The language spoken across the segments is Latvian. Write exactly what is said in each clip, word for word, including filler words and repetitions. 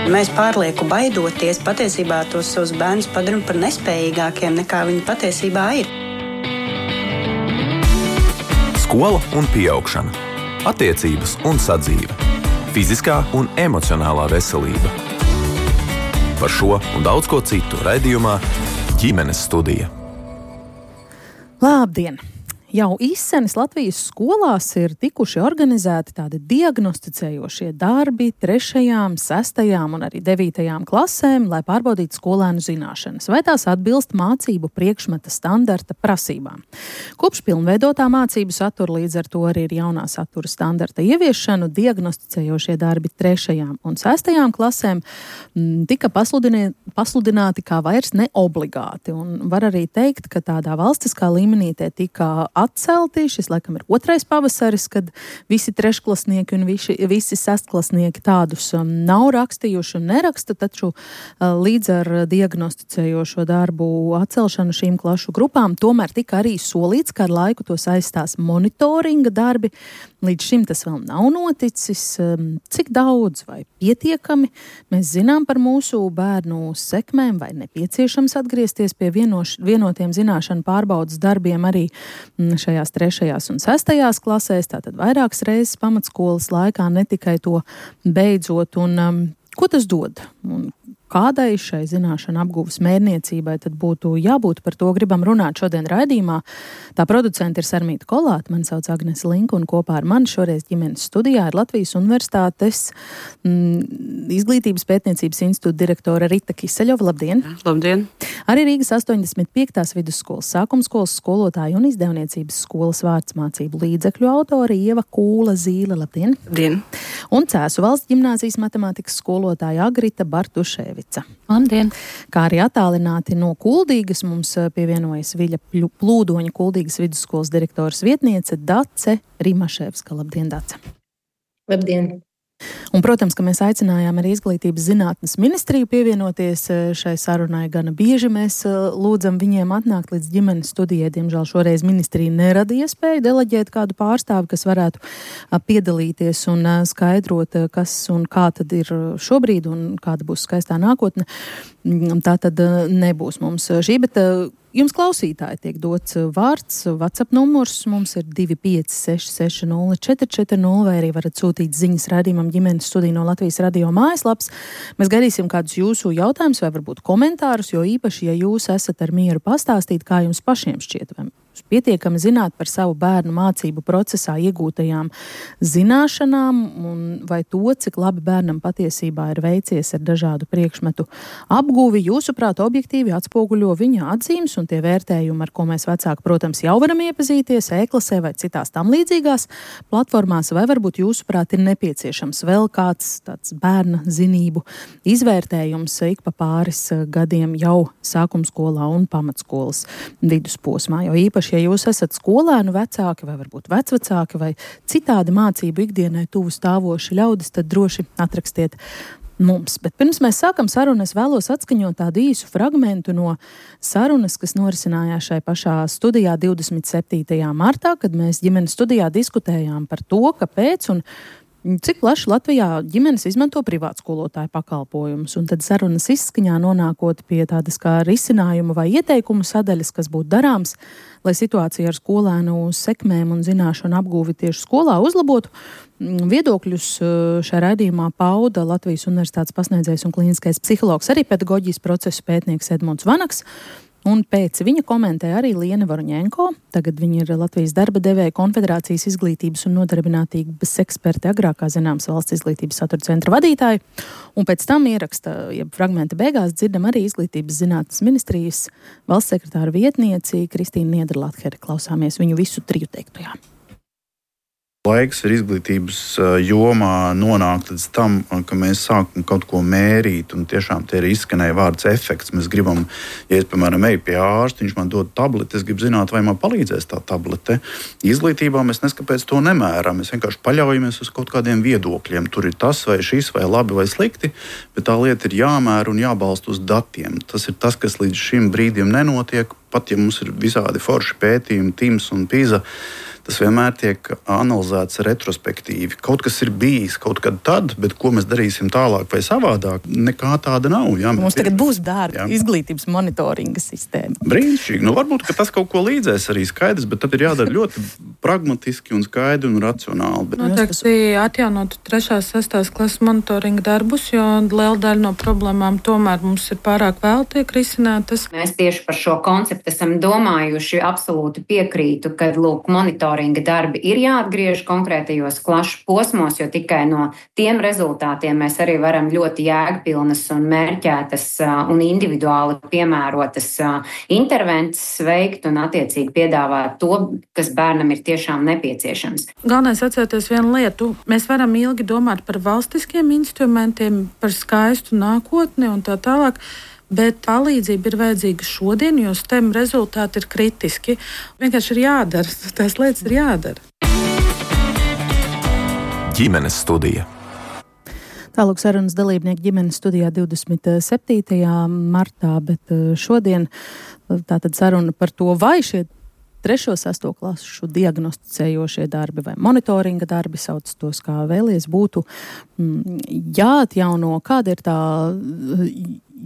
Mēs pārlieku baidoties, patiesībā tos savus bērnus padaram par nespējīgākiem nekā viņi patiesībā ir. Skola un pieaugšana, attiecības un sadzīve, fiziskā un emocionālā veselība. Par šo un daudz ko citu raidījumā Ģimenes studija. Labdien! Jau izsenis Latvijas skolās ir tikuši organizēti tādi diagnosticējošie darbi trešajām, sestajām un arī devītajām klasēm, lai pārbaudītu skolēnu zināšanas, vai tās atbilst mācību priekšmeta standarta prasībām. Kopš pilnveidotā mācību satura, līdz ar to arī ir jaunā satura standarta ieviešanu, diagnosticējošie darbi trešajām un sestajām klasēm m, tika pasludināti kā vairs neobligāti. Un var arī teikt, ka tādā valstiskā līmenī tie tika atcelti. Šis, laikam, ir otrais pavasaris, kad visi trešklasnieki un visi, visi sestklasnieki tādus um, nav rakstījuši un neraksta, taču uh, līdz ar diagnosticējošo darbu atcelšanu šīm klašu grupām tomēr tika arī solīts, ka ar laiku tos aizstās monitoringa darbi. Līdz šim tas vēl nav noticis. Um, cik daudz vai pietiekami mēs zinām par mūsu bērnu sekmēm, vai nepieciešams atgriezties pie vienoš, vienotiem zināšanu pārbaudas darbiem arī šajās trešajās un sestajās klasēs, tātad vairākas reizes pamatskolas laikā, ne tikai to beidzot. Un um, ko tas dod? Un kādai šai zināšanu apgūves mērniecībai tad būtu jābūt? Par to gribam runāt šodien raidījumā. Tā producenta ir Sarmīta Kolāte, mani sauc Agnese Linka, un kopā ar mani šoreiz ģimenes studijā ir Latvijas Universitātes mm, Izglītības pētniecības institūta direktore Rita Kiseļova. Labdien! Labdien! Arī Rīgas astoņdesmit piektās vidusskolas sākumskolas skolotāja un izdevniecības skolas vārdsmācību līdzekļu autori Ieva Kūla Zīle. Labdien! Labdien! Un Cēsu valsts ģimnāzijas matemātikas skolotāja Agrita Bartuševica. Labdien! Kā arī attālināti no Kuldīgas mums pievienojas Viļa Plūdoņa Kuldīgas vidusskolas direktoras vietniece Dace Rimaševska. Labdien, Dace! Labdien! Un, protams, ka mēs aicinājām arī Izglītības zinātnes ministriju pievienoties šai sarunai. Gana bieži mēs lūdzam viņiem atnākt līdz ģimenes studijai. Diemžēl šoreiz ministrija nerada iespēju deleģēt kādu pārstāvi, kas varētu piedalīties un skaidrot, kas un kā tad ir šobrīd un kāda būs skaistā nākotne. Tā tad nebūs mums šī, bet jums klausītāji tiek dots vārds, WhatsApp numurs mums ir divi pieci seši seši nulle četri četri nulle, vai arī varat sūtīt ziņas raidījumam Ģimenes studija no Latvijas radio mājaslaps. Mēs gaidīsim kādus jūsu jautājumus vai varbūt komentārus, jo īpaši, ja jūs esat ar mieru pastāstīt, kā jums pašiem šķiet, vai pietiekami zināt par savu bērnu mācību procesā iegūtajām zināšanām un vai to, cik labi bērnam patiesībā ir veicies ar dažādu priekšmetu apgūvi, jūsuprāt, objektīvi atspoguļo viņa atzīmes un tie vērtējumi, ar ko mēs vecāki, protams, jau varam iepazīties e-klasē vai citās tam līdzīgās platformās, vai varbūt jūsuprāt ir nepieciešams vēl kāds tāds bērna zinību izvērtējums ik pa pāris gadiem jau sākumskolā un pamatskolas vidusposmā, jo īpaši ja jūs esat skolēnu vecāki vai varbūt vecvecāki vai citādi mācību ikdienai tuvu stāvoši ļaudis, tad droši atrakstiet mums. Bet pirms mēs sākam sarunu, es vēlos atskaņot tādu īsu fragmentu no sarunas, kas norisinājās šai pašā studijā divdesmit septītajā martā, kad mēs ģimenes studijā diskutējām par to, kāpēc un cik plaši Latvijā ģimenes izmanto privātskolotāju pakalpojumus, un tad sarunas izskaņā nonākot pie tādas kā risinājuma vai ieteikumu sadaļas, kas būtu darāms, lai situācija ar skolēnu sekmēm un zināšanu apgūvi tieši skolā uzlabotu. Viedokļus šajā raidījumā pauda Latvijas Universitātes pasniedzējs un klīniskais psihologs, arī pedagoģijas procesu pētnieks Edmunds Vanaks. Un pēc viņa komentēja arī Liene Varuņenko. Tagad viņa ir Latvijas darba devēja konfederācijas izglītības un nodarbinātības eksperte, agrākā zināms Valsts izglītības satura centra vadītāja. Un pēc tam ieraksta, ja fragmenta beigās dzirdam arī Izglītības zinātnes ministrijas valsts sekretāra vietnieci Kristīnu Niederlatheri. Klausāmies viņu visu triju teiktajā. Laiks ir izglītības jomā nonākt līdz tam, ka mēs sākam kaut ko mērīt, un tiešām te ir izskanēja vārds efekts. Mēs gribam, ja es, piemēram, eju pie ārsta, viņš man dod tableti, es gribu zināt, vai man palīdzēs tā tablete. Izglītībā mēs neskapēc to nemēram, mēs vienkārši paļaujamies uz kaut kādiem viedokļiem. Tur ir tas vai šis, vai labi vai slikti, bet tā lieta ir jāmēra un jābalsta uz datiem. Tas ir tas, kas līdz šim brīdim nenotiek. pat ja mums ir visādi forši pētījumi, TIMSS un PISA, tas vienmēr tiek analizēts retrospektīvi. Kaut kas ir bijis kaut kad tad, bet ko mēs darīsim tālāk vai savādāk, nekā tāda nav. Jā, mums tagad būs dārga izglītības monitoringa sistēma. Brīnišķīgi. Nu, varbūt, ka tas kaut ko līdzēs arī skaidrs, bet tad ir jādara ļoti pragmatiski un skaidri un racionāli. Bet... Noteikti atjaunot trešās, sestās klases monitoringa darbus, jo liela daļa no problēmām tomēr mums ir pārāk vēl tiek risinātas. Mēs tieši par šo konceptu esam domājuši, absolūti piekrītu, ka, lūk, monitoringa darbi ir jāatgriež konkrētajos klašu posmos, jo tikai no tiem rezultātiem mēs arī varam ļoti jēgpilnas un mērķētas un individuāli piemērotas intervences veikt un attiecīgi piedāvāt to, kas bērnam ir tiešām nepieciešams. Galvenais atcerēties vienu lietu. Mēs varam ilgi domāt par valstiskiem instrumentiem, par skaistu nākotni un tā tālāk. Bet palīdzība ir vajadzīga šodien, jo STEM rezultāti ir kritiski. Vienkārši ir jādara, tās lietas ir jādara. Ģimenes studija. Tālāk sarunas dalībnieki ģimenes studijā divdesmit septītajā martā, bet šodien tātad saruna par to, vai šie trešo, sesto klasu diagnosticējošie darbi vai monitoringa darbi, sauc tos kā vēlies, būtu jāatjauno. Kāda ir tā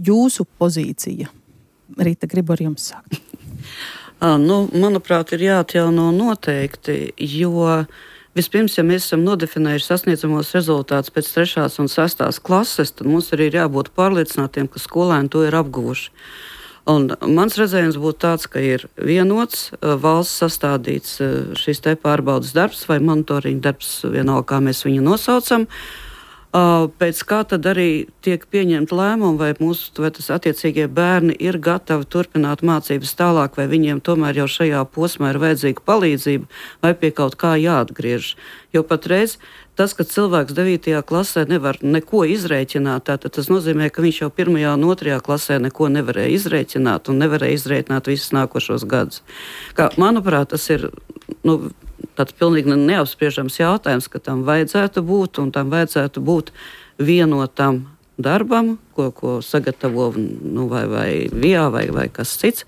jūsu pozīcija? Rīta, gribu ar jums sākt. Nu, manuprāt, ir jāatjauno noteikti, jo vispirms, ja mēs esam nodefinējuši sasniedzamos rezultātus pēc trešās un sestās klases, tad mums arī ir jābūt pārliecinātiem, ka skolēni to ir apguvuši. Un mans redzējums būtu tāds, ka ir vienots valsts sastādīts šis te pārbaudas darbs vai monitoringa darbs, vienalga, kā mēs viņu nosaucam. Pēc kā tad arī tiek pieņemt lēmumu, vai mūsu, vai tas attiecīgie bērni ir gatavi turpināt mācības tālāk, vai viņiem tomēr jau šajā posmā ir vajadzīga palīdzība, vai pie kaut kā jāatgriež. Jo patreiz tas, ka cilvēks devītajā klasē nevar neko izrēķināt, tātad tas nozīmē, ka viņš jau pirmajā un otrajā klasē neko nevarēja izrēķināt un nevarēja izrēķināt visus nākošos gadus. Kā, manuprāt, tas ir nu, tāds pilnīgi neapspriežams jautājums, ka tam vajadzētu būt un tam vajadzētu būt vienotam darbam, ko, ko sagatavo nu, vai, vai V I A vai, vai kas cits.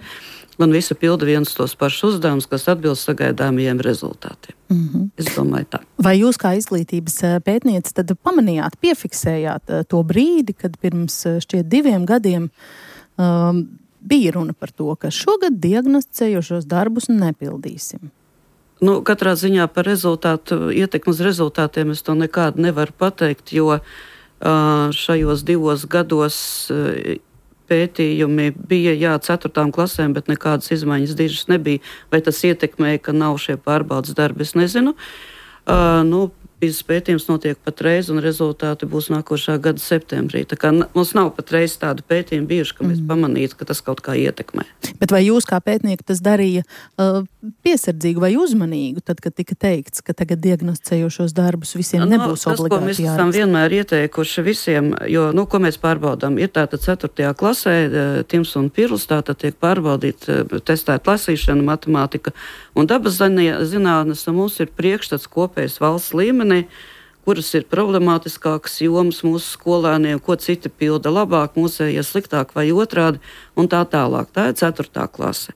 Un visi pilda viens tos pašus uzdevumus, kas atbilst sagaidāmajiem rezultātiem. Mm-hmm. Es domāju tā. Vai jūs kā izglītības pētniece tad pamanījāt, piefiksējāt to brīdi, kad pirms šķiet diviem gadiem um, bija runa par to, ka šogad diagnosticējošos darbus nepildīsim? Nu, katrā ziņā par rezultātu, ietekmi uz rezultātiem es to nekādu nevaru pateikt, jo uh, šajos divos gados uh, pētījumi bija, jā, ceturtām klasēm, bet nekādas izmaiņas dižas nebija. Vai tas ietekmēja, ka nav šie pārbaudas darbi, es nezinu. Uh, nu, Pīzes pētījums notiek patreiz, un rezultāti būs nākošā gada septembrī. Tā kā mums nav patreiz tādu pētījumu bijuši, ka mēs mm. pamanītu, ka tas kaut kā ietekmē. Bet vai jūs kā pētnieki tas darīja uh, piesardzīgu vai uzmanīgu, tad, kad tika teikts, ka tagad diagnosticējošos darbus visiem no, nebūs tas, obligāti jāraksta? Tas, ko mēs esam vienmēr ieteikuši visiem, jo, nu, ko mēs pārbaudām, ir tātad ceturtajā klasē, TIMSS un PIRLS, tātad tiek pārbaudīt, testēt lasīšana, matemātika un dabas zinātnes, un mums ir priekšstats kopējs valsts līmenī, kuras ir problemātiskākas jomas mūsu skolēniem, ko citi pilda labāk, mūsējie sliktāk vai otrādi, un tā tālāk. Tā ir ceturtā klase.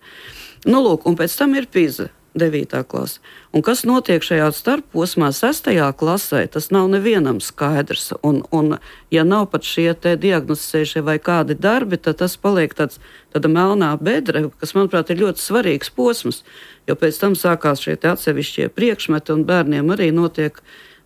Nu, lūk, un pēc tam ir PISA, devītā klase. Un kas notiek šajā starpposmā sestajā klasē, tas nav nevienam skaidrs. Un, un ja nav pat šie te diagnosticējušie vai kādi darbi, tad tas paliek tāds, tāda melnā bedre, kas, manuprāt, ir ļoti svarīgs posms. Jo pēc tam sākās šie te atsevišķie priekšmeti, un bērniem arī notiek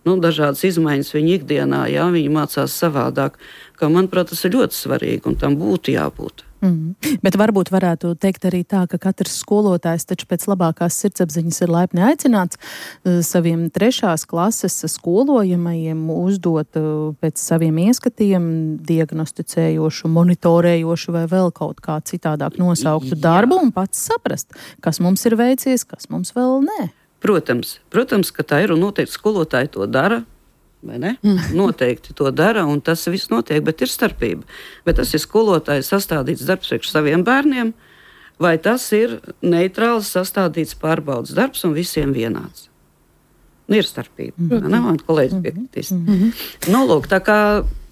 nu, dažādas izmaiņas viņa ikdienā, jā, viņi mācās savādāk. Kā, manuprāt, tas ir ļoti svarīgi, un tam būtu jābūt. Mm. Bet varbūt varētu teikt arī tā, ka katrs skolotājs taču pēc labākās sirdsapziņas ir laipni aicināts uh, saviem trešās klases skolojamajiem uzdot uh, pēc saviem ieskatiem diagnosticējošu, monitorējošu vai vēl kaut kā citādāk nosauktu Jā. darbu un pats saprast, kas mums ir veicies, kas mums vēl nē. Protams, protams, ka tā ir un noteikti skolotāji to dara. Vai ne? Mm. Noteikti to dara, un tas viss notiek, bet ir starpība. Bet tas ir skolotājs sastādīts darbs priekš saviem bērniem, vai tas ir neitrāls sastādīts pārbaudas darbs un visiem vienāds. Nu, ir starpība. Mm. Ne, man kolēģis piekritīs. Mm. Nu, lūk, tā kā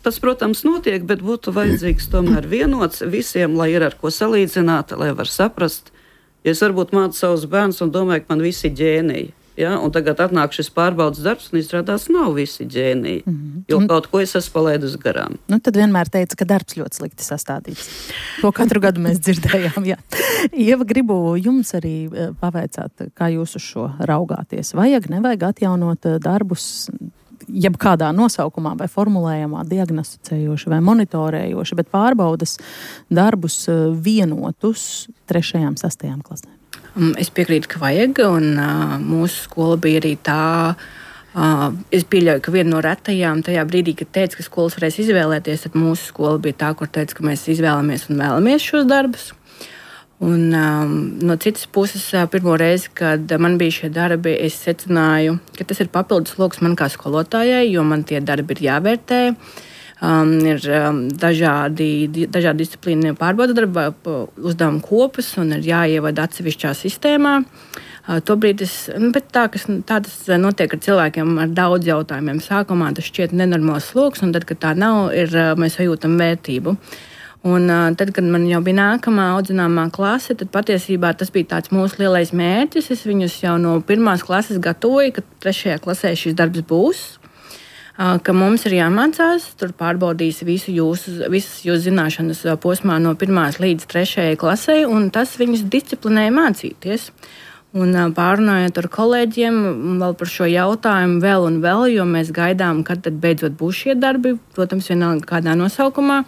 tas, protams, notiek, bet būtu vajadzīgs tomēr vienots visiem, lai ir ar ko salīdzināt, lai var saprast, Ja es varbūt mācu savus bērnus un domāju, ka man visi ģēniji. Ja? Un tagad atnāk šis pārbaudas darbs, un izrādās nav visi ģēniji. Mm -hmm. Jo kaut ko es esmu palaidus garām. Nu, tad vienmēr teica, ka darbs ļoti slikti sastādīts. To katru gadu mēs dzirdējām. Jā. Ieva, gribu jums arī pavaicāt, kā jūs uz šo raugāties. Vajag, nevajag atjaunot darbus jebkādā nosaukumā vai formulējumā, diagnosticējoši vai monitorējoši, bet pārbaudas darbus vienotus trešajām, sastajām klasēm? Es piekrītu, ka vajag, un uh, mūsu skola bija arī tā. Uh, es pieļauju, ka viena no retajām tajā brīdī, kad teica, ka skolas varēs izvēlēties, tad mūsu skola bija tā, kur teica, ka mēs izvēlamies un vēlamies šos darbus. Un, um, no citas puses, uh, pirmo reizi, kad man bija šie darbi, es secināju, ka tas ir papildus sloks man kā skolotājai, jo man tie darbi ir jāvērtē. Um, ir um, dažādi, dažādi disciplīni pārbauda darba uzdevumu kopas un ir jāievada atsevišķā sistēmā. Uh, tobrīd es, nu, bet tā, kas, tā tas notiek ar cilvēkiem ar daudz jautājumiem. Sākumā tas šķiet nenormāls sloks, un tad, kad tā nav, ir, mēs sajūtam vērtību. Un uh, tad, kad man jau bija nākamā audzināmā klase, tad patiesībā tas bija tāds mūsu lielais mērķis. Es viņus jau no pirmās klases gatavoju, ka trešajā klasē šis darbs būs. Ka mums ir jāmācās, tur pārbaudīs visu jūsu, visas jūsu zināšanas posmā no pirmās līdz trešajai klasei, un tas viņus disciplinēja mācīties. Un pārunājot ar kolēģiem vēl par šo jautājumu vēl un vēl, jo mēs gaidām, kad tad beidzot būs šie darbi, protams, vienalga kādā nosaukumā.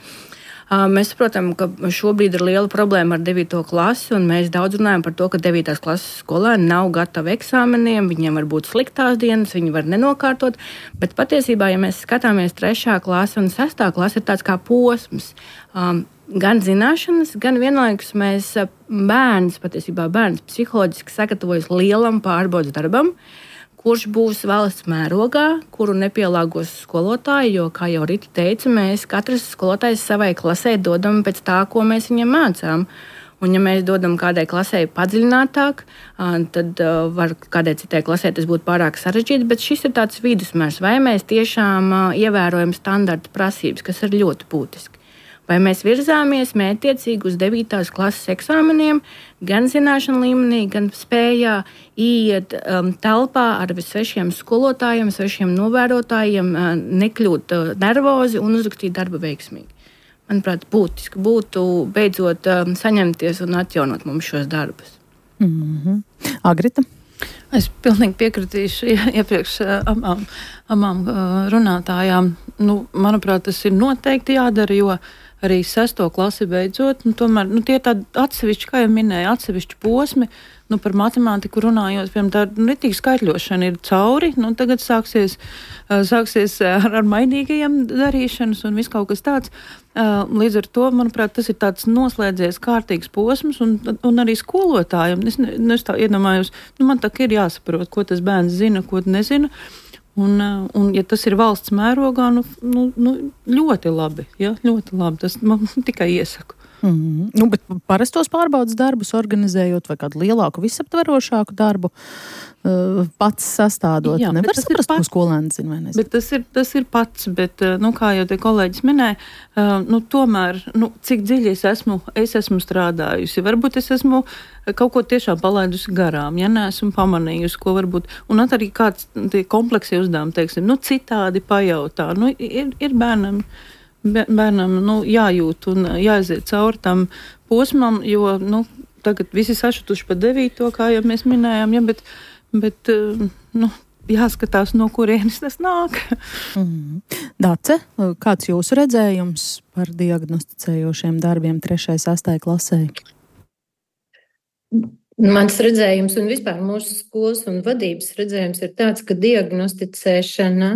Mēs saprotam, ka šobrīd ir liela problēma ar devīto klasi, un mēs daudz runājam par to, ka devītās klases skolēni nav gatavi eksāmeniem, viņiem var būt sliktās dienas, viņi var nenokārtot, bet patiesībā, ja mēs skatāmies trešā klase un sestā klase, ir tāds kā posms. Um, gan zināšanas, gan vienlaikus mēs bērns, patiesībā bērns psiholoģiski sagatavojas lielam pārbaudas darbam, kurš būs valsts mērogā, kuru nepielāgos skolotāji, jo, kā jau Rita teica, mēs katrs skolotājs savai klasē dodam pēc tā, ko mēs viņam mācām. Un, ja mēs dodam kādai klasē padziļinātāk, tad var kādai citai klasē tas būtu pārāk sarežģīti, bet šis ir tāds vidusmērs, vai mēs tiešām ievērojam standarta prasības, kas ir ļoti būtiski. Vai mēs virzāmies mērķtiecīgi uz devītās klases eksāmeniem, gan zināšanu līmenī, gan spējā iet um, telpā ar svešiem skolotājiem, svešiem novērotājiem, uh, nekļūt uh, nervozi un uzrakstīt darbu veiksmīgi. Manuprāt, būtiski būtu beidzot um, saņemties un atjaunot mums šos darbus. Mm-hmm. Agrita? Es pilnīgi piekritīšu iepriekš abām, abām runātājām. Nu, manuprāt, tas ir noteikti jādara, jo arī sesto klasi beidzot, nu, tomēr nu, tie ir tādi atsevišķi, kā jau minēja, atsevišķi posmi. Nu, par matemātiku runājot, piemēram, tā ritīga skaitļošana ir cauri, nu, tagad sāksies, sāksies ar, ar mainīgajiem darīšanas un viss kaut kas tāds. Līdz ar to, manuprāt, tas ir tāds noslēdzies kārtīgs posms un, un arī skolotājiem. Es, ne, es tā iedomājos, nu, man tā ir jāsaprot, ko tas bērns zina, ko nezina. Un, un, ja tas ir valsts mērogā, nu, nu, nu ļoti labi, ja, ļoti labi. Tas man tikai iesaku. Mm-hmm. Nu, bet parastos pārbaudas darbus organizējot vai kādu lielāku, visaptverošāku darbu uh, pats sastādot. Jā, nevar saprast, ko skolēni zina vai nezina. Bet tas ir, tas ir pats, bet, nu, kā jau te kolēģis minēja, uh, nu, tomēr, nu, cik dziļi es esmu, es esmu strādājusi. Varbūt es esmu kaut ko tiešām palaidusi garām, ja neesmu pamanījusi, ko varbūt, un arī kāds tie kompleksi uzdevumi, teiksim, nu, citādi pajautā. Nu, ir, ir bērnam, bērnam, nu, jājūt un jāaiziet cauri tam posmam, jo, nu, tagad visi sašutuši pa devīto, kā jau mēs minējām, ja, bet, bet, nu, jāskatās, no kurienes tas nāk. Mm. Dace, kāds jūsu redzējums par diagnosticējošiem darbiem trešajai, sastajai klasē? Mans redzējums un vispār mūsu skolas un vadības redzējums ir tāds, ka diagnosticēšana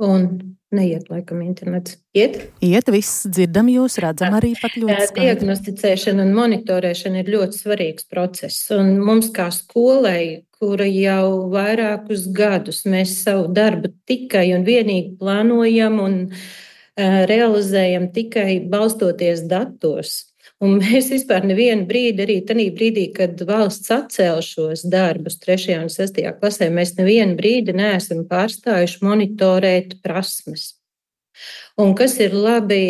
un neiet, laikam, internets. Iet? Iet, viss dzirdam jūs, redzam arī pat ļoti skaidri. Diagnosticēšana un monitorēšana ir ļoti svarīgs process. Un mums kā skolai, kura jau vairākus gadus mēs savu darbu tikai un vienīgi plānojam un uh, realizējam tikai balstoties datos. Un mēs vispār nevienu brīdi, arī tajā brīdī, kad valsts atcēla šos darbus trešajā un sestajā klasē, mēs nevienu brīdi neesam pārstājuši monitorēt prasmes. Un kas ir labi,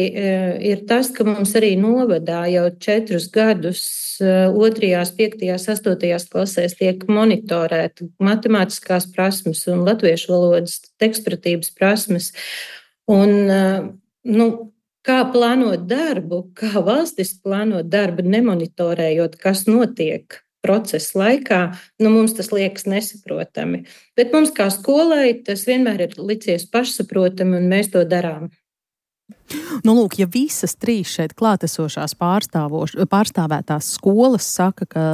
ir tas, ka mums arī novadā jau četrus gadus otrajās, piektajās, astotajās klasēs tiek monitorēta matemātiskās prasmes un latviešu valodas tekstpratības prasmes. Un, nu, kā plānot darbu, kā valstis plānot darbu, nemonitorējot, kas notiek procesa laikā, nu, mums tas liekas nesaprotami. Bet mums kā skolai tas vienmēr ir licies pašsaprotami, un mēs to darām. Nu, lūk, ja visas trīs šeit klātesošās pārstāvētās skolas saka, ka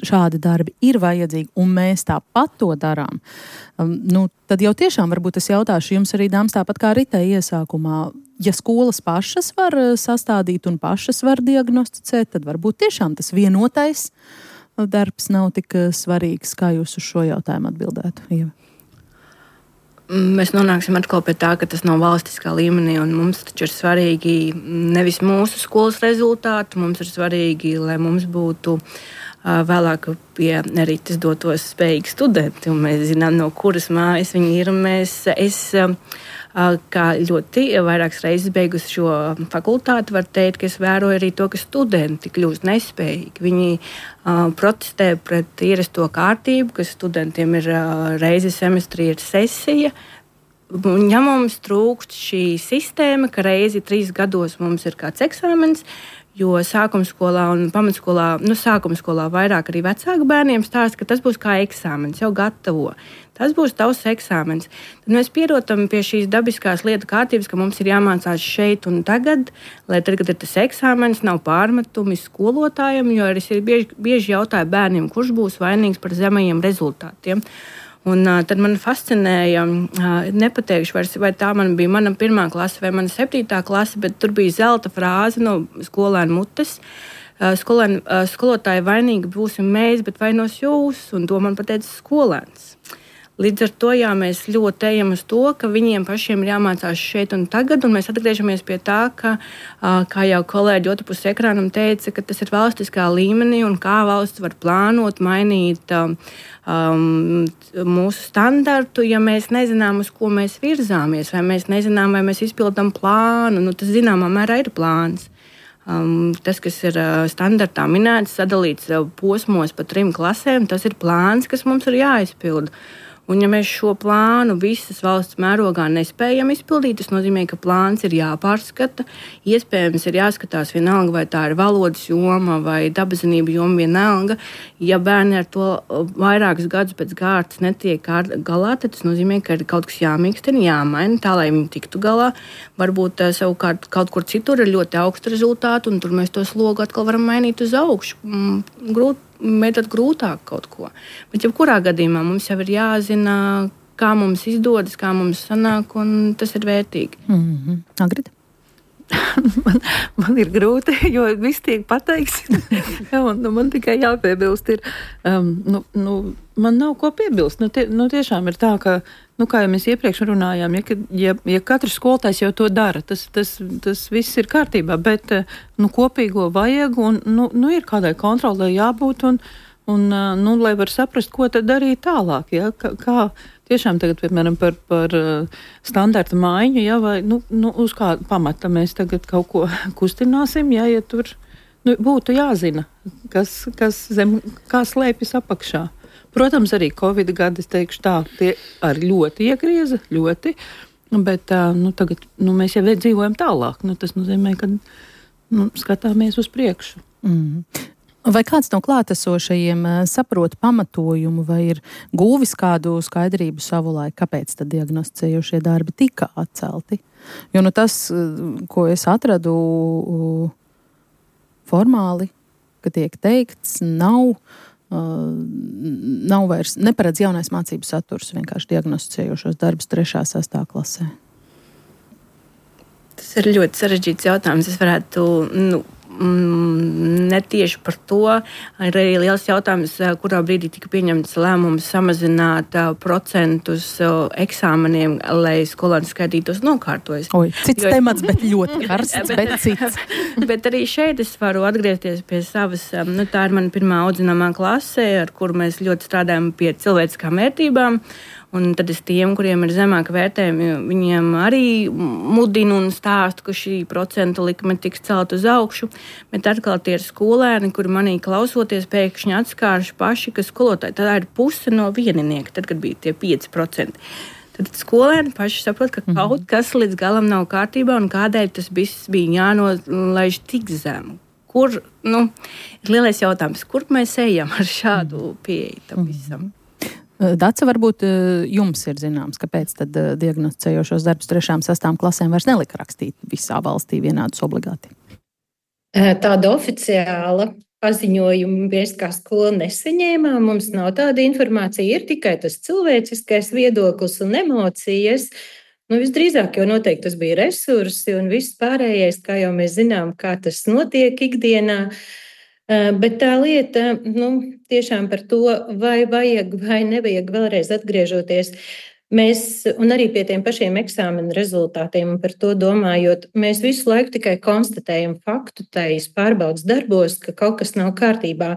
šādi darbi ir vajadzīgi, un mēs tāpat to darām, nu, tad jau tiešām varbūt es jautāšu jums arī, dāmas, tāpat kā Ritai iesākumā, ja skolas pašas var sastādīt un pašas var diagnosticēt, tad varbūt tiešām tas vienotais darbs nav tik svarīgs, kā jūs uz šo jautājumu atbildētu, Ieva. Mēs nonāksim atkal pie tā, ka tas nav valstiskā līmenī, un mums taču ir svarīgi nevis mūsu skolas rezultāti, mums ir svarīgi, lai mums būtu uh, vēlāk pie rites dotos spējīgi studenti, un mēs zinām, no kuras mājas viņi ir. Mēs, es, uh, kā ļoti vairākas reizes beigusi šo fakultāti, var teikt, ka es vēroju arī to, ka studenti kļūst nespējīgi. Viņi uh, protestē pret ierasto kārtību, ka studentiem ir uh, reizi semestrī ir sesija. Ja mums trūkst šī sistēma, ka reizi trīs gados mums ir kāds eksāmens, jo sākumskolā un pamatskolā, nu sākumskolā vairāk arī vecāku bērniem stāsta, ka tas būs kā eksāmens, jau gatavo. Tas būs tavs eksāmens. Tad mēs pierotam pie šīs dabiskās lietu kārtības, ka mums ir jāmācās šeit un tagad, lai tad, kad ir tas eksāmens, nav pārmetumi skolotājiem, jo arī ir bieži, bieži jautāja bērniem, kurš būs vainīgs par zemajiem rezultātiem. Un, uh, tad man fascinēja, uh, nepateikšu, vairs, vai tā man bija mana pirmā klase vai mana septītā klase, bet tur bija zelta frāze no skolēna mutes. Uh, skolēn, uh, skolotāji vainīgi būsim mēs, bet vainos jūs, un to man pateica skolēns. Līdz ar to jā, mēs ļoti ejam uz to, ka viņiem pašiem ir jāmācās šeit un tagad, un mēs atgriežamies pie tā, ka, kā jau kolēģi otrpus ekrānam teica, ka tas ir valstiskā līmenī un kā valsts var plānot, mainīt um, mūsu standartu, ja mēs nezinām, uz ko mēs virzāmies, vai mēs nezinām, vai mēs izpildām plānu. Nu, tas zināmā mērā ir plāns. Um, tas, kas ir uh, standartā minēts, sadalīts uh, posmos pa trim klasēm, tas ir plāns, kas mums ir jāizpilda. Un, ja mēs šo plānu visas valsts mērogā nespējam izpildīt, tas nozīmē, ka plāns ir jāpārskata. Iespējams, ir jāskatās vienalga, vai tā ir valodas joma vai dabazinība joma vienalga. Ja bērni ar to vairākus gadus pēc kārtas netiek galā, tad tas nozīmē, ka ir kaut kas jāmīkstina, jāmaina tā, lai viņi tiktu galā. Varbūt savukārt kaut kur citur ir ļoti augsta rezultāti, un tur mēs to slogu atkal varam mainīt uz augšu. Grūti. Mēģināt grūtāk kaut ko. Bet jebkurā gadījumā mums jau ir jāzina, kā mums izdodas, kā mums sanāk, un tas ir vērtīgi. Mm-hmm. Agrita? man, man ir grūti, jo viss tiek pateikts. Jā, un, nu, man tikai jāpiebilst ir, um, nu, nu, man nav ko piebilst. Nu, tie, nu, tiešām ir tā, ka, nu, kā jau mēs iepriekš runājām, ja, ja, ja katrs skolotājs jau to dara, tas, tas, tas viss ir kārtībā, bet, nu, kopīgo vajag, un, nu, nu ir kādai kontrolē jābūt, un, un, nu, lai var saprast, ko tad darīt tālāk, ja, kā, kā tiešām tagad, piemēram, par, par standarta maiņu, ja, vai, nu, nu, uz kādu pamata mēs tagad kaut ko kustināsim, ja, ja tur, nu, būtu jāzina, kas, kas zem, kā slēpjas apakšā. Protams, arī Covid gadi, es teikšu tā, tie arī ļoti iegrieza, ļoti, bet nu, tagad nu, mēs jau dzīvojam tālāk. Nu, tas nozīmē, ka nu, skatāmies uz priekšu. Mm. Vai kāds no klātesošajiem saprot pamatojumu vai ir guvis kādu skaidrību savulaik, kāpēc tad diagnosticējošie darbi tika atcelti? Jo nu, tas, ko es atradu formāli, ka tiek teikts, nav... Uh, nav vairs, neparedz jaunais mācību saturs, vienkārši diagnosticējošos darbus trešā, sestā klasē. Tas ir ļoti sarežģīts jautājums. Es varētu, nu, mm, netieši par to. Ir arī liels jautājums, kurā brīdī tika pieņemts lēmums samazināt uh, procentus uh, eksāmeniem, lai skolēni skaitītos nokārtojas. Oi, cits jo, temats, bet ļoti karsts, bet, bet cits. Bet arī šeit es varu atgriezties pie savas, nu, tā ir mana pirmā audzināmā klase, ar kuru mēs ļoti strādājam pie cilvēciskām vērtībām. Un tad es tiem, kuriem ir zemāka vērtējumi, viņiem arī mudinu un stāstu, ka šī procentu likme tiks celt uz augšu. Bet atkal tie ir skolēni, kuri manī klausoties pēkšņi atskārši paši, ka skolotāji tā ir puse no vieninieka, tad, kad bija tie pieci procenti. Tad skolēni paši saprot, ka kaut kas līdz galam nav kārtībā un kādēļ tas viss bija jānolaiž tik zemu. Kur, nu, ir lielais jautājums, kur mēs ejam ar šādu pieeju tam visam? Dace, varbūt jums ir zināms, kāpēc tad diagnosticējošos darbus trešām, sastām klasēm vairs nelika rakstīt visā valstī vienādus obligāti? Tāda oficiāla paziņojumu mēs kā skola nesaņēmām, mums nav tāda informācija, ir tikai tas cilvēciskais viedoklis un emocijas. Nu, visdrīzāk jau noteikti tas bija resursi un viss pārējais, kā jau mēs zinām, kā tas notiek ikdienā. Bet tā lieta, nu, tiešām par to, vai vajag vai nevajag vēlreiz atgriežoties. Mēs, un arī pie tiem pašiem eksāmenu rezultātiem, un par to domājot, mēs visu laiku tikai konstatējam faktu tais pārbaudas darbos, ka kaut kas nav kārtībā,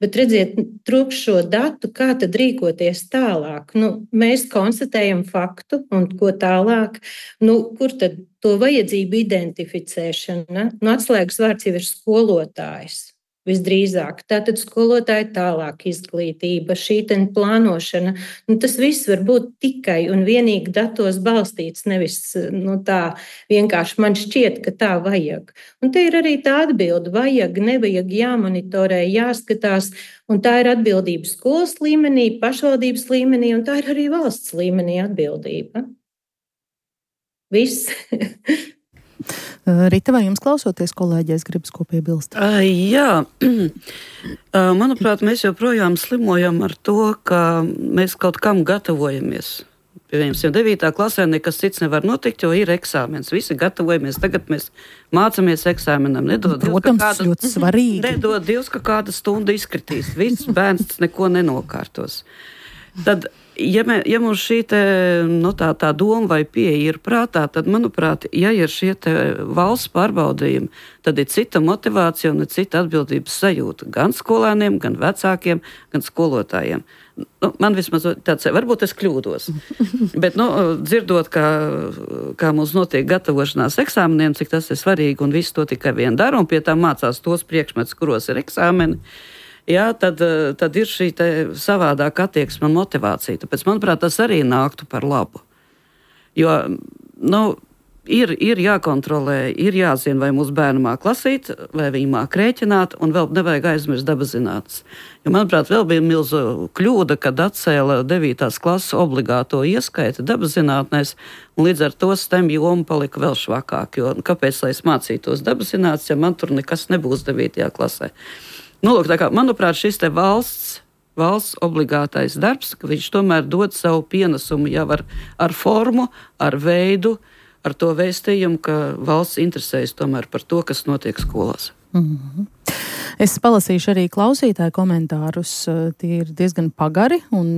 bet redziet, trūkst šo datu, kā tad rīkoties tālāk. Nu, mēs konstatējam faktu, un ko tālāk, nu, kur tad to vajadzību identificēšana? Nu, atslēgas vārds jau ir skolotājs. Visdrīzāk. Tātad skolotāja tālāk izglītība, šī ten plānošana. Nu, tas viss var būt tikai un vienīgi datos balstīts, nevis nu, tā vienkārši man šķiet, ka tā vajag. Un te ir arī tā atbilde, vajag, nevajag, jāmonitorē, jāskatās, un tā ir atbildība skolas līmenī, pašvaldības līmenī, un tā ir arī valsts līmenī atbildība. Viss. Rita, vai jums klausoties kolēģis gribas ko piebilst? Uh, jā, uh, manuprāt, mēs joprojām slimojam ar to, ka mēs kaut kam gatavojamies. Piemēram, devītā klasē nekas cits nevar notikt, jo ir eksāmens. Visi gatavojamies, tagad mēs mācāmies eksāmenam. Nedod Protams, Dievs, kāda, ļoti svarīgi. Nedod Dievs, ka kāda stunda izkritīs. Viss bērns neko nenokārtos. Tad, ja, mē, ja mums šī te, nu, tā, tā doma vai pieeja ir prātā, tad, manuprāt, ja ir šie te valsts pārbaudījumi, tad ir cita motivācija un ir cita atbildības sajūta gan skolēniem, gan vecākiem, gan skolotājiem. Nu, man vismaz tāds, varbūt es kļūdos, bet, nu, dzirdot, kā, kā mums notiek gatavošanās eksāmeniem, cik tas ir svarīgi un visu to tikai vien dara un pie tā mācās tos priekšmetus, kuros ir eksāmeni, jā, tad, tad ir šī savādāka attieksme un motivācija. Tāpēc, manuprāt, tas arī nāktu par labu. Jo, nu, ir, ir jākontrolē, ir jāzina, vai mūsu bērni māk lasīt, vai viņi māk rēķināt, un vēl nevajag aizmirst dabaszinātnes. Jo, manuprāt, vēl bija milzu kļūda, kad atcēla devītās klases obligāto ieskaiti dabaszinātnēs, un līdz ar to STEM joma palika vēl švakāk. Jo, kāpēc, lai es mācītos dabaszinātnes, ja man tur nekas nebūs devītajā klasē? Nu, lūk, tā kā, manuprāt, šis te valsts, valsts obligātais darbs, ka viņš tomēr dod savu pienesumu jau ar, ar formu, ar veidu, ar to vēstījumu, ka valsts interesējas tomēr par to, kas notiek skolās. Mm-hmm. Es palasīšu arī klausītāju komentārus. Tie ir diezgan pagari un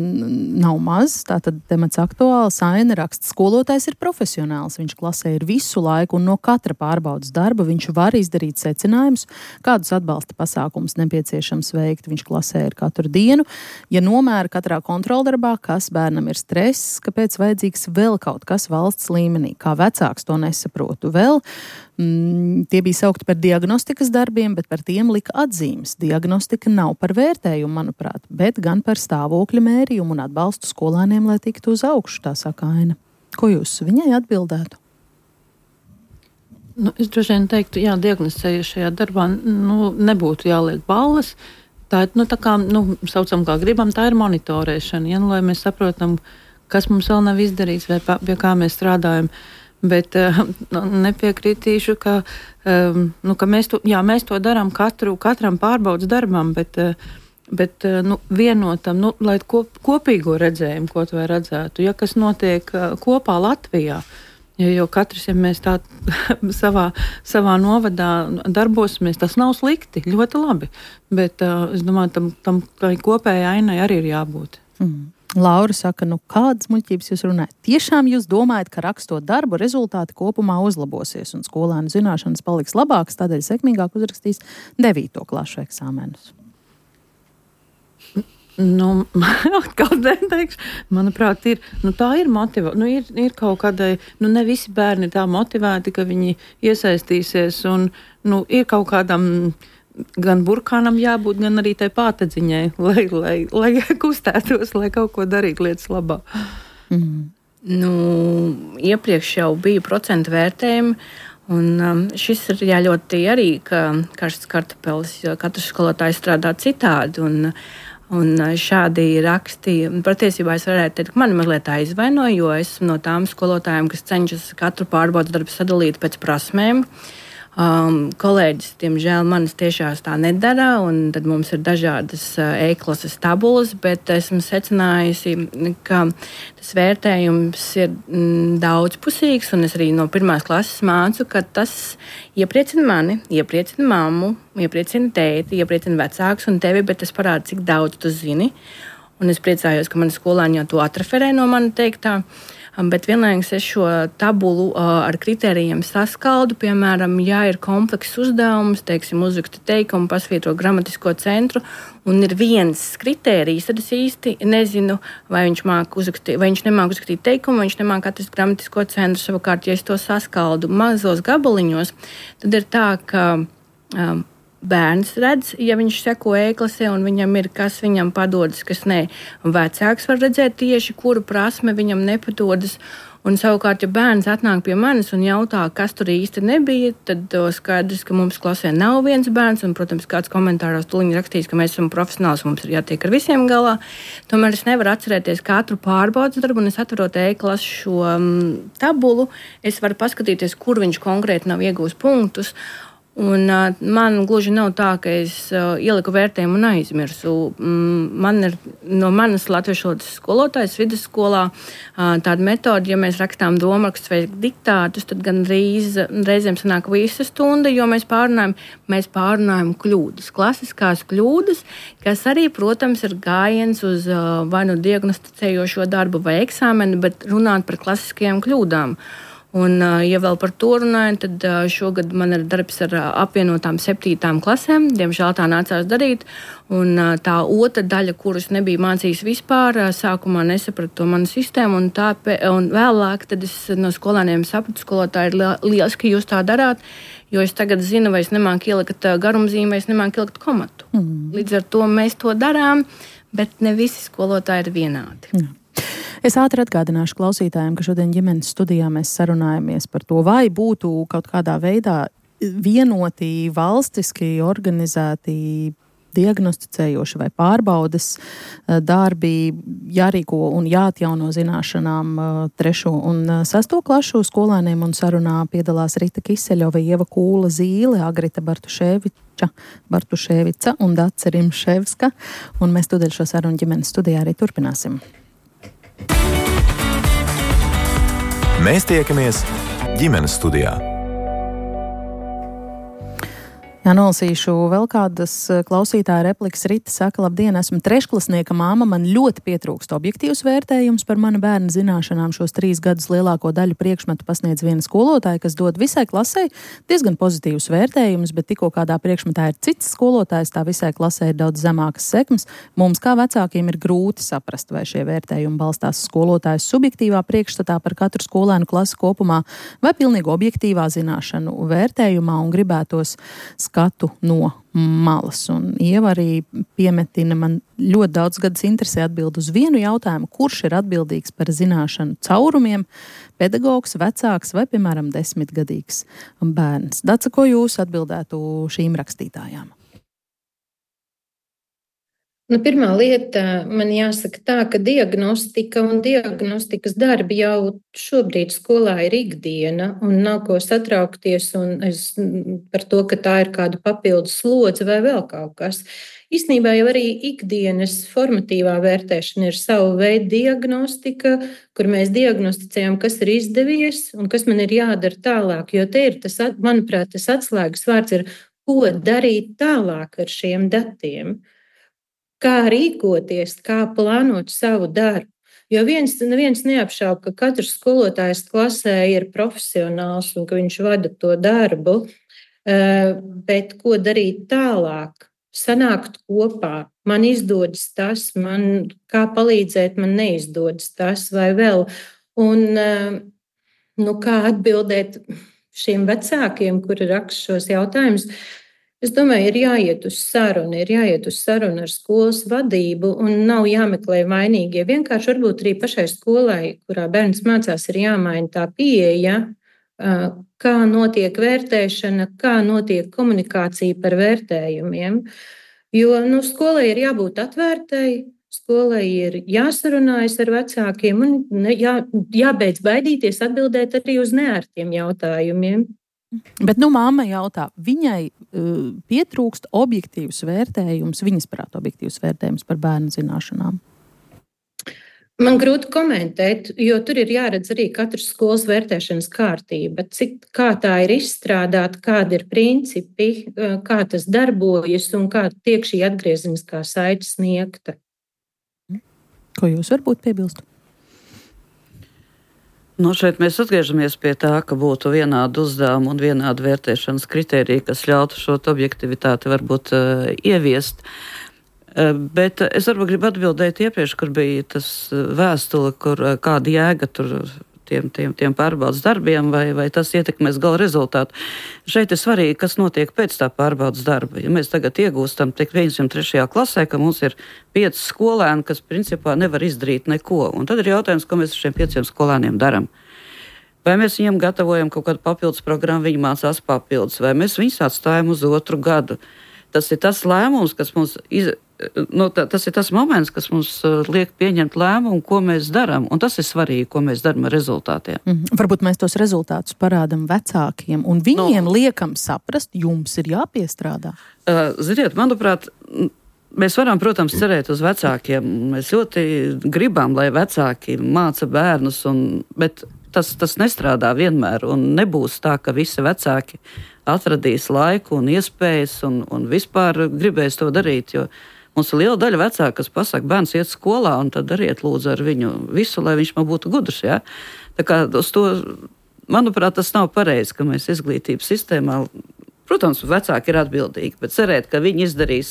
nav maz. Tātad temats aktuāls. Aina raksta, skolotājs ir profesionāls. Viņš klasē ir visu laiku un no katra pārbaudas darba viņš var izdarīt secinājumus, kādus atbalsta pasākumus nepieciešams veikt. Viņš klasē ir katru dienu. Ja nomēra katrā kontroldarbā, kas bērnam ir stress, kāpēc vajadzīgs vēl kaut kas valsts līmenī. Kā vecāks to nesaprotu vēl. Mm, tie bija saukti par diagnostikas darbiem, bet par tiem lika atzīmes. Diagnostika nav par vērtējumu, manuprāt, bet gan par stāvokļa mērījumu un atbalstu skolēniem, lai tiktu uz augšu, tā saka Aina. Ko jūs viņai atbildētu? Nu, es droši vien teiktu, jā, diagnosticējušajā darbā nu, nebūtu jāliek balles. Tā ir, nu, tā kā, nu, saucam kā gribam, tā ir monitorēšana, ja, nu, lai mēs saprotam, kas mums vēl nav izdarīts vai pie kā mēs strādājam. Bet uh, nepiekritīšu, ka, um, nu, ka mēs, to, jā, mēs to darām katru, katram pārbaudas darbam, bet, uh, bet uh, nu, vienotam, nu, lai kop, kopīgo redzējumu, ko to redzētu, ja kas notiek uh, kopā Latvijā. Jo, jo katrs, ja mēs tā savā, savā novadā darbosimies, tas nav slikti, ļoti labi. Bet uh, es domāju, tam, tam kopējai ainai arī ir jābūt. Mm. Laura saka, nu kādas muļķības jūs runājat? Tiešām jūs domājat, ka rakstot darbu rezultāti kopumā uzlabosies un skolēnu zināšanas paliks labākas, tādēļ sekmīgāk uzrakstīs devīto klašu eksāmenus? Nu, kaut neteikšu, manuprāt, ir, nu, tā ir motivācija. Nu, ir, ir kaut kādai, nu, ne visi bērni ir tā motivēti, ka viņi iesaistīsies, un, nu, ir kaut kādam gan burkānam jābūt, gan arī tai pātedziņai, lai, lai, lai kustētos, lai kaut ko darītu lietas labā. Mm. Nu, iepriekš jau bija procentu vērtējumi, un um, šis ir jā, ļoti arī, ka karsts kartupelis, jo katrs skolotājs strādā citādi, un, un šādi raksti, patiesībā es varētu teikt, ka mani mazliet aizvaino, jo esmu no tām skolotājiem, kas cenšas katru pārbaudas darbu sadalīt pēc prasmēm. Um, kolēģis, diemžēl, manis tiešās tā nedara, un tad mums ir dažādas uh, e-klases tabulas, bet esmu secinājusi, ka tas vērtējums ir mm, daudzpusīgs, un es arī no pirmās klases mācu, ka tas iepriecina mani, iepriecina mammu, iepriecina tēti, iepriecina vecākus un tevi, bet tas parāda, cik daudz tu zini. Un es priecājos, ka mani skolāņi jau to atreferē no mani teiktā. Bet vienlaikus es šo tabulu uh, ar kritērijiem saskaldu. Piemēram, ja ir komplekss uzdevums, teiksim, uzraksta teikumu, pasvītro gramatisko centru, un ir viens kritērijs, tad es īsti nezinu, vai viņš, uzrakstīt, vai viņš nemāk uzrakstīt teikumu, vai viņš nemāk atrast gramatisko centru. Savukārt, ja es to saskaldu mazos gabaliņos, tad ir tā, ka um, bērns redz, ja viņš seko e-klasē un viņam ir, kas viņam padodas, kas nē. Vecāks var redzēt tieši, kuru prasme viņam nepadodas. Un savukārt, ja bērns atnāk pie manis un jautā, kas tur īsti nebija, tad skaidrs, ka mums klasē nav viens bērns, un, protams, kāds komentāros tuliņi rakstīs, ka mēs esam profesionāls, mums ir jātiek ar visiem galā. Tomēr es nevaru atcerēties katru pārbaudas darbu, un es atverot e-klasu šo um, tabulu, es varu paskatīties, kur viņš konkrēti nav iegūs punktus. Un, uh, man gluži nav tā, ka es uh, ieliku vērtējumu un aizmirsu. Mm, man ir no manas latviešu valodas skolotājas vidusskolā uh, tāda metode, ja mēs rakstām domarakstus vai diktātus, tad gan reiz, reizēm sanāk visa stunda, jo mēs pārunājam, mēs pārunājam kļūdas, klasiskās kļūdas, kas arī, protams, ir gājiens uz uh, vai nu diagnosticējošo darbu vai eksāmeni, bet runāt par klasiskajām kļūdām. Un, ja vēl par to runājam, tad šogad man ir darbs ar apvienotām septītām klasēm. Diemžēl tā nācās darīt. Un tā otra daļa, kuras nebija mācījis vispār, sākumā nesapratu to manu sistēmu. Un, tā, un vēlāk tad es no skolēniem sapratu, skolotāji ir lieliski, ka jūs tā darāt, jo es tagad zinu, vai es nemāku ielikt garumzīmi, vai es nemāku ielikt komatu. Mm. Līdz ar to mēs to darām, bet ne visi skolotāji ir vienādi. Mm. Es ātri atgādināšu klausītājiem, ka šodien ģimenes studijā mēs sarunājamies par to, vai būtu kaut kādā veidā vienoti valstiski organizēti diagnosticējoši vai pārbaudes darbi jārīko un jāatjauno zināšanām trešo un sesto klašu skolēniem, un sarunā piedalās Rita Kiseļova, Ieva Kūla Zīle, Agrita Bartuševiča, Bartuševica un Dace Rimševska, un mēs tūdaļ šo sarunu ģimenes studijā arī turpināsim. Mēs tiekamies ģimenes studijā. Jā, nolasīšu vēl kādas klausītāja replikas. Rita saka, labdien, esmu trešklasnieka māma, man ļoti pietrūkst objektīvs vērtējums par mana bērna zināšanām. Šos trīs gadus lielāko daļu priekšmetu pasniedz viena skolotāja, kas dod visai klasei diezgan pozitīvus vērtējumus, bet tikko kādā priekšmetā ir cits skolotājs, tā visai klasē ir daudz zemākas sekmes. Mums kā vecākiem ir grūti saprast, vai šie vērtējumi balstās skolotājas subjektīvā priekšstatā par katru skolēnu klasi kopumā vai pilnīgi objektīvā zināšanu vērtējumā, un gribētos skatu no malas. Un Ieva arī piemetina, man ļoti daudz gadus interesē atbild uz vienu jautājumu, kurš ir atbildīgs par zināšanu caurumiem, pedagogs, vecāks vai, piemēram, desmitgadīgs bērns. Dace, ko jūs atbildētu šīm rakstītājām? Nu, pirmā lieta, man jāsaka tā, ka diagnostika un diagnostikas darbi jau šobrīd skolā ir ikdiena, un nav ko satraukties un es, par to, ka tā ir kāda papildus slodze vai vēl kaut kas. Īstenībā jau arī ikdienas formatīvā vērtēšana ir sava veida diagnostika, kur mēs diagnosticējam, kas ir izdevies un kas man ir jādara tālāk, jo te ir tas, manuprāt, tas atslēgas vārds ir, ko darīt tālāk ar šiem datiem. Kā rīkoties, kā plānot savu darbu. Jo viens, neviens neapšauba, ka katrs skolotājs klasē ir profesionāls un ka viņš vada to darbu, bet ko darīt tālāk? sanākt kopā. Man izdodas tas, man kā palīdzēt, man neizdodas tas vai vēl. Un nu, kā atbildēt šiem vecākiem, kuri raksta šos jautājumus, es domāju, ir jāiet uz sarunu, ir jāiet uz sarunu ar skolas vadību un nav jāmeklē vainīgie. Vienkārši varbūt arī pašai skolai, kurā bērns mācās, ir jāmaina tā pieeja, kā notiek vērtēšana, kā notiek komunikācija par vērtējumiem. Jo nu, skolai ir jābūt atvērtai, skolai ir jāsarunājas ar vecākiem un jā, jābeidz baidīties atbildēt arī uz neērtiem jautājumiem. Bet nu māma jautā, viņai uh, pietrūkst objektīvs vērtējums, viņas prāt objektīvs vērtējums par bērnu zināšanām. Man grūti komentēt, jo tur ir jāredz arī katras skolas vērtēšanas kārtība, cik, kā tā ir izstrādāta, kādi ir principi, kā tas darbojas un kā tiek šī atgriezeniskā saite sniegta. Ko jūs varbūt piebilstu? Nu, šeit mēs atgriežamies pie tā, ka būtu vienādi uzdevumi un vienādi vērtēšanas kritēriji, kas ļautu šo objektivitāti varbūt uh, ieviest. Bet es varbūt gribu atbildēt iepriekš, kur bija tas vēstule, kur kāda jēga tur tiem, tiem, tiem pārbaudas darbiem, vai, vai tas ietekmēs gala rezultātu. Šeit ir svarīgi, kas notiek pēc tā pārbaudas darba. Ja mēs tagad iegūstam tik pieņemsim trešajā klasē, ka mums ir pieci skolēni, kas principā nevar izdarīt neko. Un tad ir jautājums, ko mēs ar šiem pieciem skolēniem daram. Vai mēs viņiem gatavojam kaut kādu papildus programmu, viņi mācās papildus, vai mēs viņus atstājam uz otru gadu. Tas ir tas lēmums, kas mums iz... Nu, tā, tas ir tas moments, kas mums uh, liek pieņemt lēmumu, ko mēs darām. Un tas ir svarīgi, ko mēs darām ar rezultātiem. Mm-hmm. Varbūt mēs tos rezultātus parādām vecākiem, un viņiem no. liekam saprast, jums ir jāpiestrādā. Uh, ziniet, manuprāt, mēs varam, protams, cerēt uz vecākiem. Mēs ļoti gribam, lai vecāki māca bērnus, un, bet tas, tas nestrādā vienmēr. Un nebūs tā, ka visi vecāki atradīs laiku un iespējas un, un vispār gribēs to darīt, jo mums ir liela daļa vecāku, kas pasaka, bērns iet skolā, un tad dariet lūdzu ar viņu visu, lai viņš man būtu gudrs. Ja? Tā kā uz to, manuprāt, tas nav pareizi, ka mēs izglītības sistēmā, protams, vecāki ir atbildīgi, bet cerēt, ka viņi izdarīs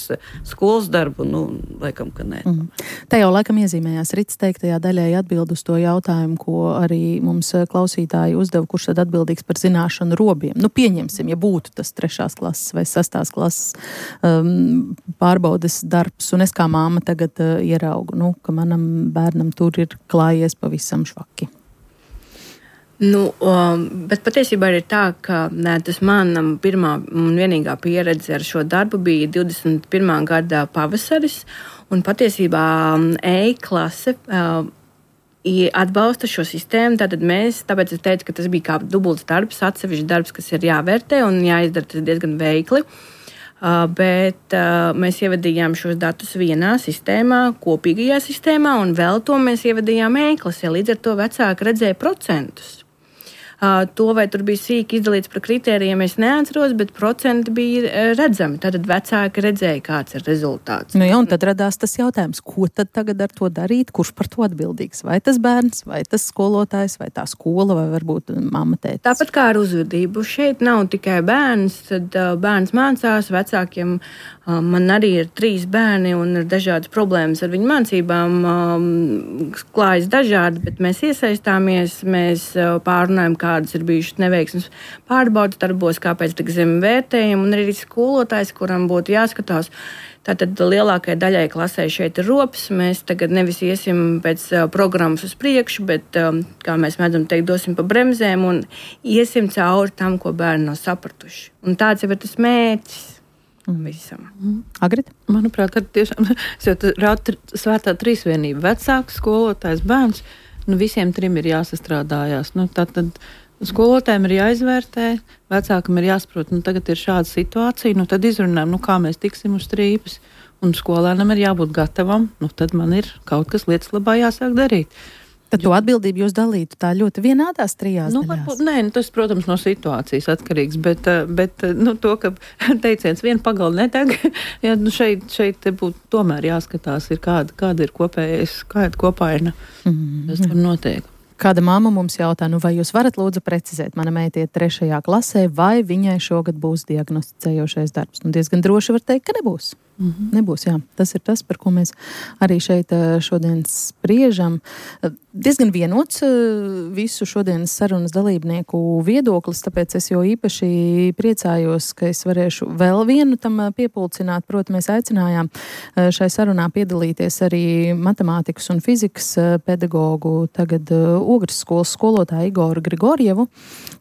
skolas darbu, nu, laikam, ka nē. Mm. Te jau laikam iezīmējās Rits teiktajā daļai atbild uz to jautājumu, ko arī mums klausītāji uzdeva, kurš tad atbildīgs par zināšanu robiem. Nu, pieņemsim, ja būtu tas trešās klases vai sastās klases um, pārbaudes darbs, un es kā māma tagad uh, ieraugu, nu, ka manam bērnam tur ir klājies pavisam švaki. Nu, um, bet patiesībā ir tā, ka nē, tas manam pirmā un vienīgā pieredze ar šo darbu bija divdesmit pirmā gada pavasaris, un patiesībā E-klase uh, atbalsta šo sistēmu, tātad mēs, tāpēc es teicu, ka tas bija kā dubults darbs, atsevišķs darbs, kas ir jāvērtē un jāizdara tas diezgan veikli. Uh, bet uh, mēs ievadījām šos datus vienā sistēmā, kopīgajā sistēmā, un vēl to mēs ievadījām E-klasē. Līdz ar to vecāki redzēja procentus. Uh, to, vai tur bija sīki izdalīts par kritērijiem, es neatceros, bet procenti bija uh, redzami. Tad vecāki redzēja, kāds ir rezultāts. Nu jā, un tad radās tas jautājums, ko tad tagad ar to darīt, kurš par to atbildīgs? Vai tas bērns, vai tas skolotājs, vai tā skola, vai varbūt mamma tētis? Tāpat kā ar uzvedību. Šeit nav tikai bērns, tad uh, bērns mācās, vecākiem uh, man arī ir trīs bērni un ir dažādas problēmas ar viņu mācībām, um, klājas dažādi, bet mēs iesaistāmies, mēs uh, pārunājam, kā kādas ir bijušas neveiksmes pārbaudas darbos, kāpēc tik zemi vērtējumi, un arī skolotājs, kuram būtu jāskatās. Tātad lielākajai daļai klasē šeit ir rops. Mēs tagad nevis iesim pēc uh, programmas uz priekšu, bet, um, kā mēs mēdzam teikt, dosim pa bremzēm un iesim cauri tam, ko bērni nav sapratuši. Un tāds jau ir tas mērķis. Visam. Mm. Agrita? Manuprāt, ar tiešām rāda svētā trīsvienība. Vecāks, skolotājs, bērns. Nu, visiem trim ir jāsastrādājās. Nu, tātad skolotājiem ir jāizvērtē, vecākam ir jāsaprot, nu tagad ir šāda situācija, nu tad izrunājam, nu kā mēs tiksim uz strīpes, un skolēnam ir jābūt gatavam, nu tad man ir kaut kas lietas labā jāsāk darīt. Tad to atbildību jūs dalītu tā ļoti vienādās trijās nu, daļās? Varbūt, nē, nu, tas, protams, no situācijas atkarīgs, bet, bet nu, to, ka teiciens viena pagala nedeg, ja, nu, šeit, šeit būtu tomēr jāskatās, ir kāda, kāda ir kopējais, kāda kopaina, mm-hmm. tas tur notiek. Kāda mamma mums jautā, nu vai jūs varat lūdzu precizēt, mana meita iet trešajā klasē, vai viņai šogad būs diagnosticējošais darbs? Nu, diezgan droši var teikt, ka nebūs. Mm-hmm. Nebūs, jā. Tas ir tas, par ko mēs arī šeit šodien spriežam. Diezgan vienots visu šodienas sarunas dalībnieku viedoklis, tāpēc es jau īpaši priecājos, ka es varēšu vēl vienu tam piepulcināt. Proti, mēs aicinājām šai sarunā piedalīties arī matemātikas un fizikas pedagogu, tagad Ogres skolas skolotāju Igoru Grigorjevu.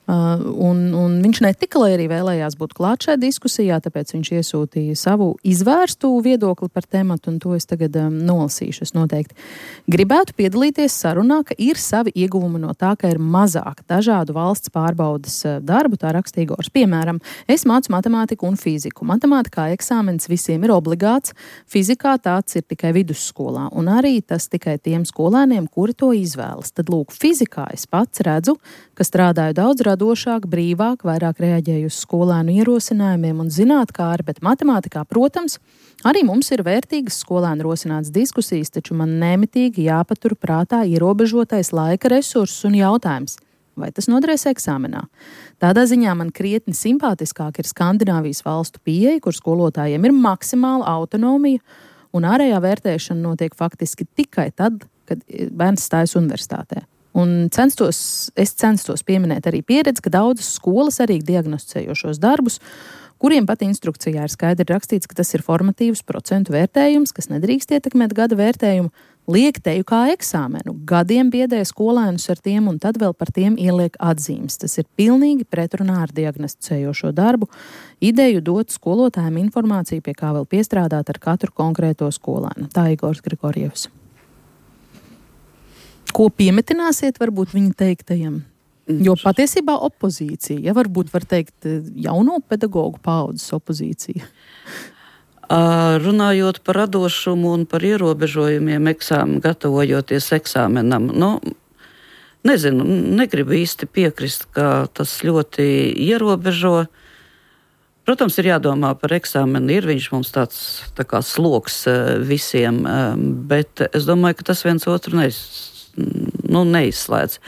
Un, un viņš ne tikai arī vēlējās būt klāt šajā diskusijā, tāpēc viņš iesūtīja savu izvērstu viedokli par tematu, un to es tagad um, nolasīšu. Es noteikti gribētu piedalīties sarunā, ka ir savi ieguvumi no tā, ka ir mazāk dažādu valsts pārbaudas darbu, tā raksta Igors. Piemēram, es mācu matemātiku un fiziku. Matemātikā eksāmens visiem ir obligāts, fizikā tāds ir tikai vidusskolā, un arī tas tikai tiem skolēniem, kuri to izvēlas. Tad, lūk, fizikā es pats redzu, ka strādāju daudz radošāk, brīvāk, vairāk reaģēju uz skolēnu ierosinājumiem un zinātkāri, bet matemātikā, protams, arī mums ir vērtīgas skolēnu rosinātas diskusijas, taču man nemitīgi jāpatur prātā ierobežotais laika resursus un jautājums, vai tas noderēs eksāmenā. Tādā ziņā man krietni simpātiskāk ir Skandināvijas valstu pieeja, kur skolotājiem ir maksimāla autonomija un ārējā vērtēšana notiek faktiski tikai tad, kad bērns stājas universitātē. Un censtos, es censtos pieminēt arī pieredzi, ka daudzas skolas arī diagnosticējošos darbus, kuriem pat instrukcijā ir skaidri rakstīts, ka tas ir formatīvs procentu vērtējums, kas nedrīkst ietekmēt gada vērtējumu, liek teju kā eksāmenu. Gadiem biedē skolēnus ar tiem un tad vēl par tiem ieliek atzīmes. Tas ir pilnīgi pretrunā ar diagnosticējošo darbu. Ideju dot skolotājiem informāciju, pie kā vēl piestrādāt ar katru konkrēto skolēnu. Tā Igors Grigorjevs. Ko piemetināsiet varbūt viņa teiktajam? Jo patiesībā opozīcija, ja varbūt var teikt jauno pedagogu paaudzes opozīcija. Runājot par radošumu un par ierobežojumiem eksāmenu, gatavojoties eksāmenam, nu, nezinu, negribu īsti piekrist, ka tas ļoti ierobežo. Protams, ir jādomā par eksāmenu, ir viņš mums tāds tā kā sloks visiem, bet es domāju, ka tas viens otru neiz, nu, neizslēdz.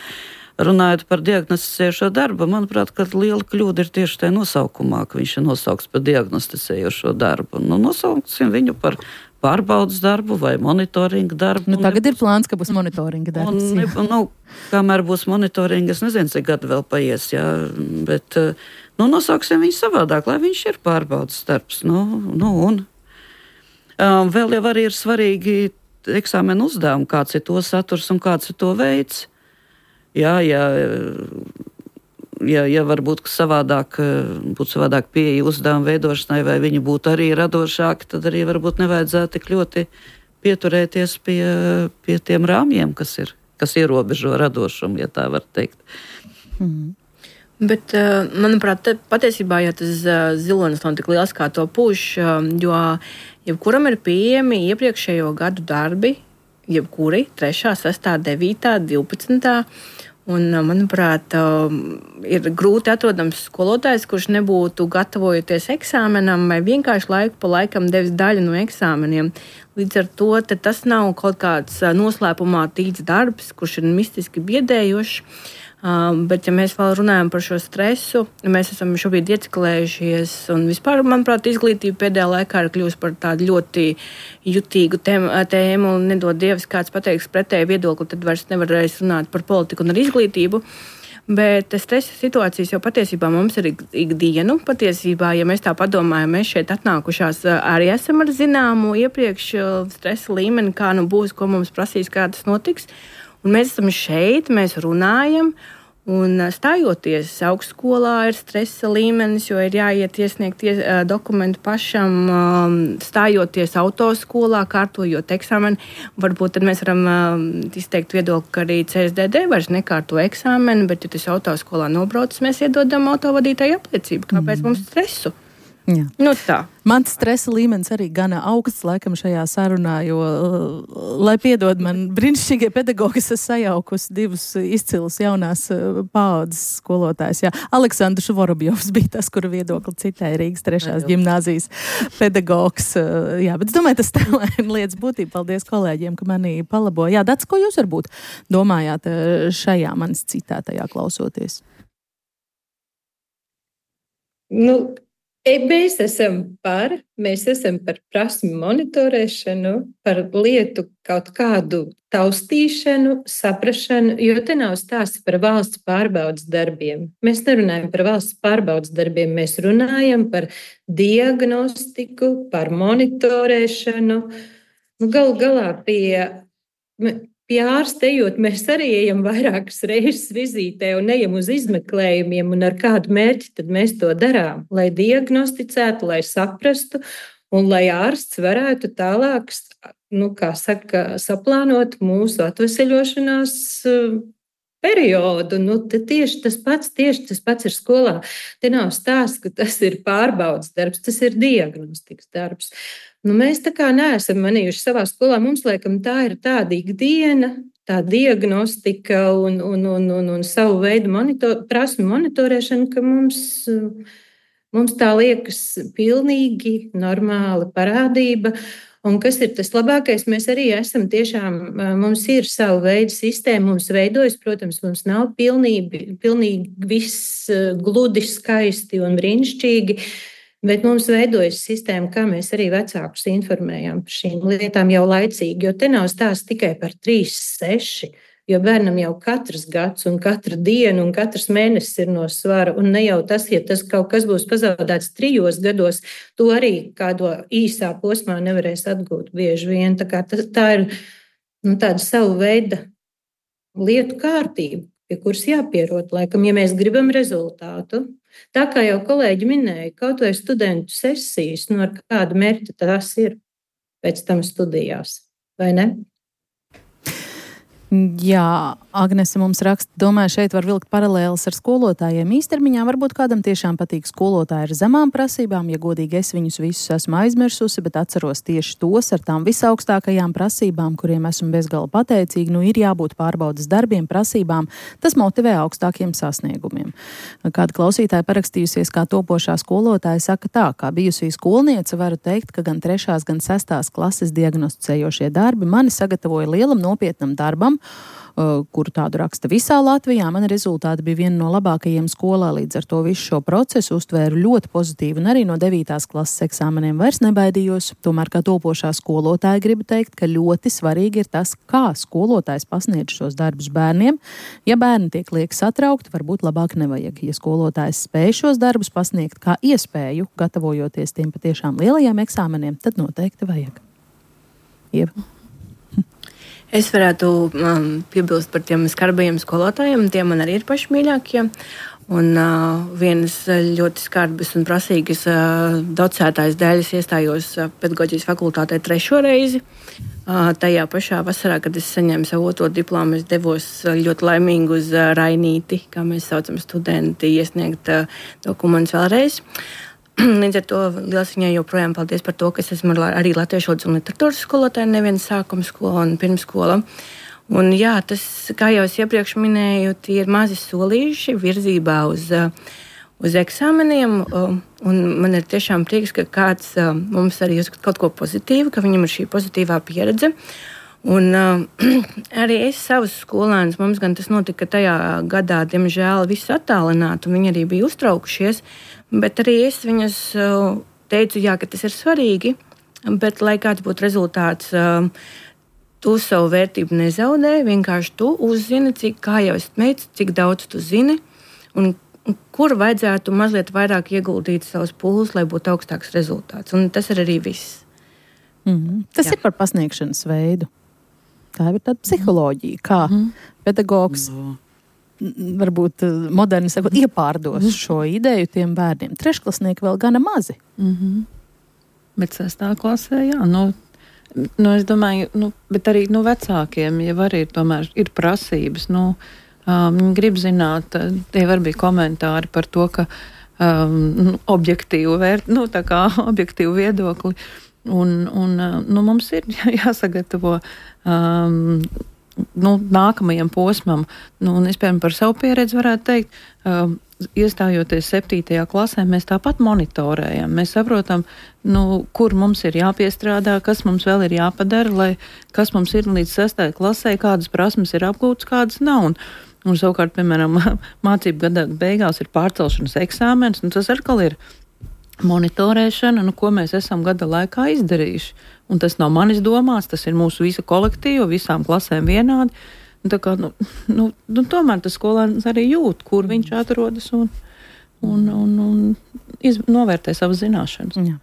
Runājot par diagnosticējošo darbu, manuprāt, ka liela kļūda ir tieši tajā nosaukumā, ka viņš ir nosaukts par diagnosticējošo darbu. Nu, nosauksim viņu par pārbaudas darbu vai monitoringa darbu. Nu, tagad ir plāns, ka būs monitoringa darbs. Un, un, nu, kamēr būs monitoringa, es nezinu, cik gadu vēl paies, jā, bet nu, nosauksim viņu savādāk, lai viņš ir pārbaudas darbs. Nu, nu, un um, vēl jau arī ir svarīgi eksāmenu uzdevumi, kāds ir to saturs un kāds ir to veids. Jā, jā, jā, jā varbūt savādāk, būtu savādāk pieeja uzdevumu veidošanai, vai viņi būtu arī radošāki, tad arī varbūt nevajadzētu tik ļoti pieturēties pie, pie tiem rāmjiem, kas ir, kas ierobežo radošumu, ja tā var teikt. Mm. Bet, manuprāt, patiesībā, ja tas zilonis nav tik liels, kā to pūš, jo jebkuram ir pieejami iepriekšējo gadu darbi, jebkuri trešā, sestā, devītā, divpadsmitā. Un, manuprāt, ir grūti atrodams skolotājs, kurš nebūtu gatavojoties eksāmenam vai vienkārši laiku pa laikam devis daļu no eksāmeniem. Līdz ar to tas nav kaut kāds noslēpumā tīts darbs, kurš ir mistiski biedējošs. Um, bet, ja mēs vēl runājam par šo stresu, mēs esam šobrīd ieciklējušies, un vispār, manuprāt, izglītība pēdējā laikā ir kļuvusi par tādu ļoti jutīgu tēmu, tēmu un nedod Dievs, kāds pateiks pretēju viedokli, tad vairs nevarēs runāt par politiku un ar izglītību. Bet stresa situācijas jau patiesībā mums ir ikdienu. Patiesībā, ja mēs tā padomājam, mēs šeit atnākušās arī esam ar zināmu iepriekš stresa līmeni, kā nu būs, ko mums prasīs, kā tas notiks. Un mēs esam šeit, mēs runājam, un stājoties augstskolā ir stresa līmenis, jo ir jāiet iesniegt ies, dokumentu pašam, stājoties autoskolā, kārtojot eksāmeni. Varbūt tad mēs varam izteikt viedokli, ka arī C S D D vairs nekārto eksāmeni, bet, ja tas autoskolā nobraucis, mēs iedodam autovadītāju apliecību. Kāpēc mm. mums stresu? Jā. Nu tā. Mans stresa līmenis arī gana augsts laikam šajā sarunā, jo, lai piedod man brīnišķīgie pedagogi, es esmu sajaukusi divus izcilus jaunās paaudzes skolotājs. Jā. Aleksandrs Vorobjovs bija tas, kura viedokli citēja Rīgas trešās ģimnāzijas pedagogs. Jā, bet es domāju, tas tēlēna lietas būtība. Paldies kolēģiem, ka mani palaboja. Jā, Dats, ko jūs varbūt domājāt šajā manis citētajā klausoties? Nu, Mēs esam par, mēs esam par prasmu monitorēšanu, par lietu kaut kādu taustīšanu, saprašanu, jo te nav stāsts par valsts pārbaudas darbiem. Mēs nerunājam par valsts pārbaudas darbiem, mēs runājam par diagnostiku, par monitorēšanu. Nu, galu galā pie, pie ārsta ejot, mēs arī ejam vairākas reizes vizītē un ejam uz izmeklējumiem, un ar kādu mērķi tad mēs to darām, lai diagnosticētu, lai saprastu, un lai ārsts varētu tālāk, nu, kā saka, saplānot mūsu atveseļošanās periodu. Nu, tieši tas pats, tieši tas pats ir skolā. Te nav stāsts, ka tas ir pārbaudas darbs, tas ir diagnostikas darbs. Nu, mēs tā kā neesam manījuši savā skolā. Mums, laikam, tā ir tāda ikdiena, tā diagnostika un, un, un, un, un savu veidu monitor, prasmu monitorēšana, ka mums, mums tā liekas pilnīgi normāla parādība. Un kas ir tas labākais? Mēs arī esam tiešām, mums ir savu veidu sistēma, mums veidojas, protams, mums nav pilnīgi, pilnīgi viss gludi, skaisti un brīnišķīgi. Bet mums veidojas sistēma, kā mēs arī vecākus informējam par šīm lietām jau laicīgi, jo te nav stāsts tikai par trīs, seši, jo bērnam jau katrs gads un katra diena un katrs mēnesis ir no svara, un ne jau tas, ja tas kaut kas būs pazaudēts trijos gados, to arī kādo īsā posmā nevarēs atgūt bieži vien. Tā kā tā, tā ir nu, tāda savu veida lietu kārtība, pie kuras jāpierot, laikam, ja mēs gribam rezultātu. Tā kā jau kolēģi minēja, kaut vai studentu sesijas, nu ar kādu mērķi tās ir pēc tam studijās, vai ne? Jā, Agnese mums raksta, domāju, šeit var vilkt paralēles ar skolotājiem. Īstermiņā varbūt kādam tiešām patīk skolotāji ar zemām prasībām, ja godīgi es viņus visus esmu aizmirsusi, bet atceros tieši tos ar tām visaugstākajām prasībām, kuriem esmu bezgala pateicīgi. Nu, ir jābūt pārbaudas darbiem, prasībām, tas motivē augstākiem sasniegumiem. Kāda klausītāja parakstījusies kā topošā skolotāja saka tā, kā bijusī skolniece varu teikt, ka gan trešās, gan sestās klases diagnosticējošie darbi mani sagatavoja lielam nopietnam darbam, kuru tādu raksta visā Latvijā. Mani rezultāti bija viena no labākajiem skolā, līdz ar to visu šo procesu uztvēru ļoti pozitīvi un arī no devītās klases eksāmeniem vairs nebaidījos. Tomēr kā topošā skolotāja gribu teikt, ka ļoti svarīgi ir tas, kā skolotājs pasniedz šos darbus bērniem. Ja bērni tiek lieki satraukti, varbūt labāk nevajag. Ja skolotājs spēj šos darbus pasniegt kā iespēju, gatavojoties tiem patiešām lielajiem eksāmeniem, tad noteikti vajag. Ieva? Es varētu um, piebilst par tiem skarbajiem skolotājiem, tie man arī ir paši mīļākie. Un uh, vienas ļoti skarbas un prasīgas uh, docētājas dēļ es iestājos uh, pedagoģijas fakultātē trešo reizi. Uh, tajā pašā vasarā, kad es saņēmu savu otro diplomu, es devos uh, ļoti laimīgi uz uh, Rainīti, kā mēs saucam studenti, iesniegt uh, dokumentus vēlreiz. Līdz ar to liels viņai joprojām paldies par to, ka es esmu arī latviešu valodas un literatūras skolotāja, neviena sākuma skola un pirmskola. Un jā, tas, kā jau es iepriekš minēju, tie ir mazi solīši virzībā uz, uz eksāmeniem. Un man ir tiešām prieks, ka kāds mums arī uzskata kaut ko pozitīvu, ka viņam ir šī pozitīvā pieredze. Un arī es savus skolēnus, mums gan tas notika tajā gadā, diemžēl, visus attālināt, un viņi arī bija uztraukušies. Bet arī es viņus teicu, jā, ka tas ir svarīgi, bet, lai kāds būtu rezultāts, tu savu vērtību nezaudē, vienkārši tu uzzini, cik, kā jau es teicu, cik daudz tu zini, un kur vajadzētu mazliet vairāk ieguldīt savus pūles, lai būtu augstāks rezultāts. Un tas ir arī viss. Mm-hmm. Tas jā. Ir par pasniegšanas veidu. Tā ir tāda psiholoģija, kā mm-hmm. pedagogs. No. Varbūt moderni sakot, iepārdos šo ideju tiem bērniem. Trešklasnieki vēl gana mazi. Mm-hmm. Bet sestā klasē, jā, nu, nu es domāju, nu, bet arī, nu, vecākiem jau arī tomēr ir prasības, nu, um, grib zināt, tie var bija komentāri par to, ka um, objektīvu vērt, nu, tā kā objektīvu viedokli, un, un nu, mums ir jāsagatavo um, Nu, nākamajam posmam. Nu, un es, piemēram, par savu pieredzi varētu teikt, uh, iestājoties septītajā klasē, mēs tāpat monitorējam. Mēs saprotam, nu, kur mums ir jāpiestrādā, kas mums vēl ir jāpadara, lai kas mums ir līdz sestajai klasē, kādas prasmes ir apgūtas, kādas nav. Un, un savukārt, piemēram, mācību gada beigās ir pārcelšanas eksāmens, un tas atkal ir monitorēšana, nu, ko mēs esam gada laikā izdarījuši. Un tas nav manis domās, tas ir mūsu visa kolektīva, visām klasēm vienādi. Un tā kā, nu, nu, nu, tomēr tas skolēns arī jūt, kur viņš atrodas un, un, un, un iz, novērtē savas zināšanas. Jā.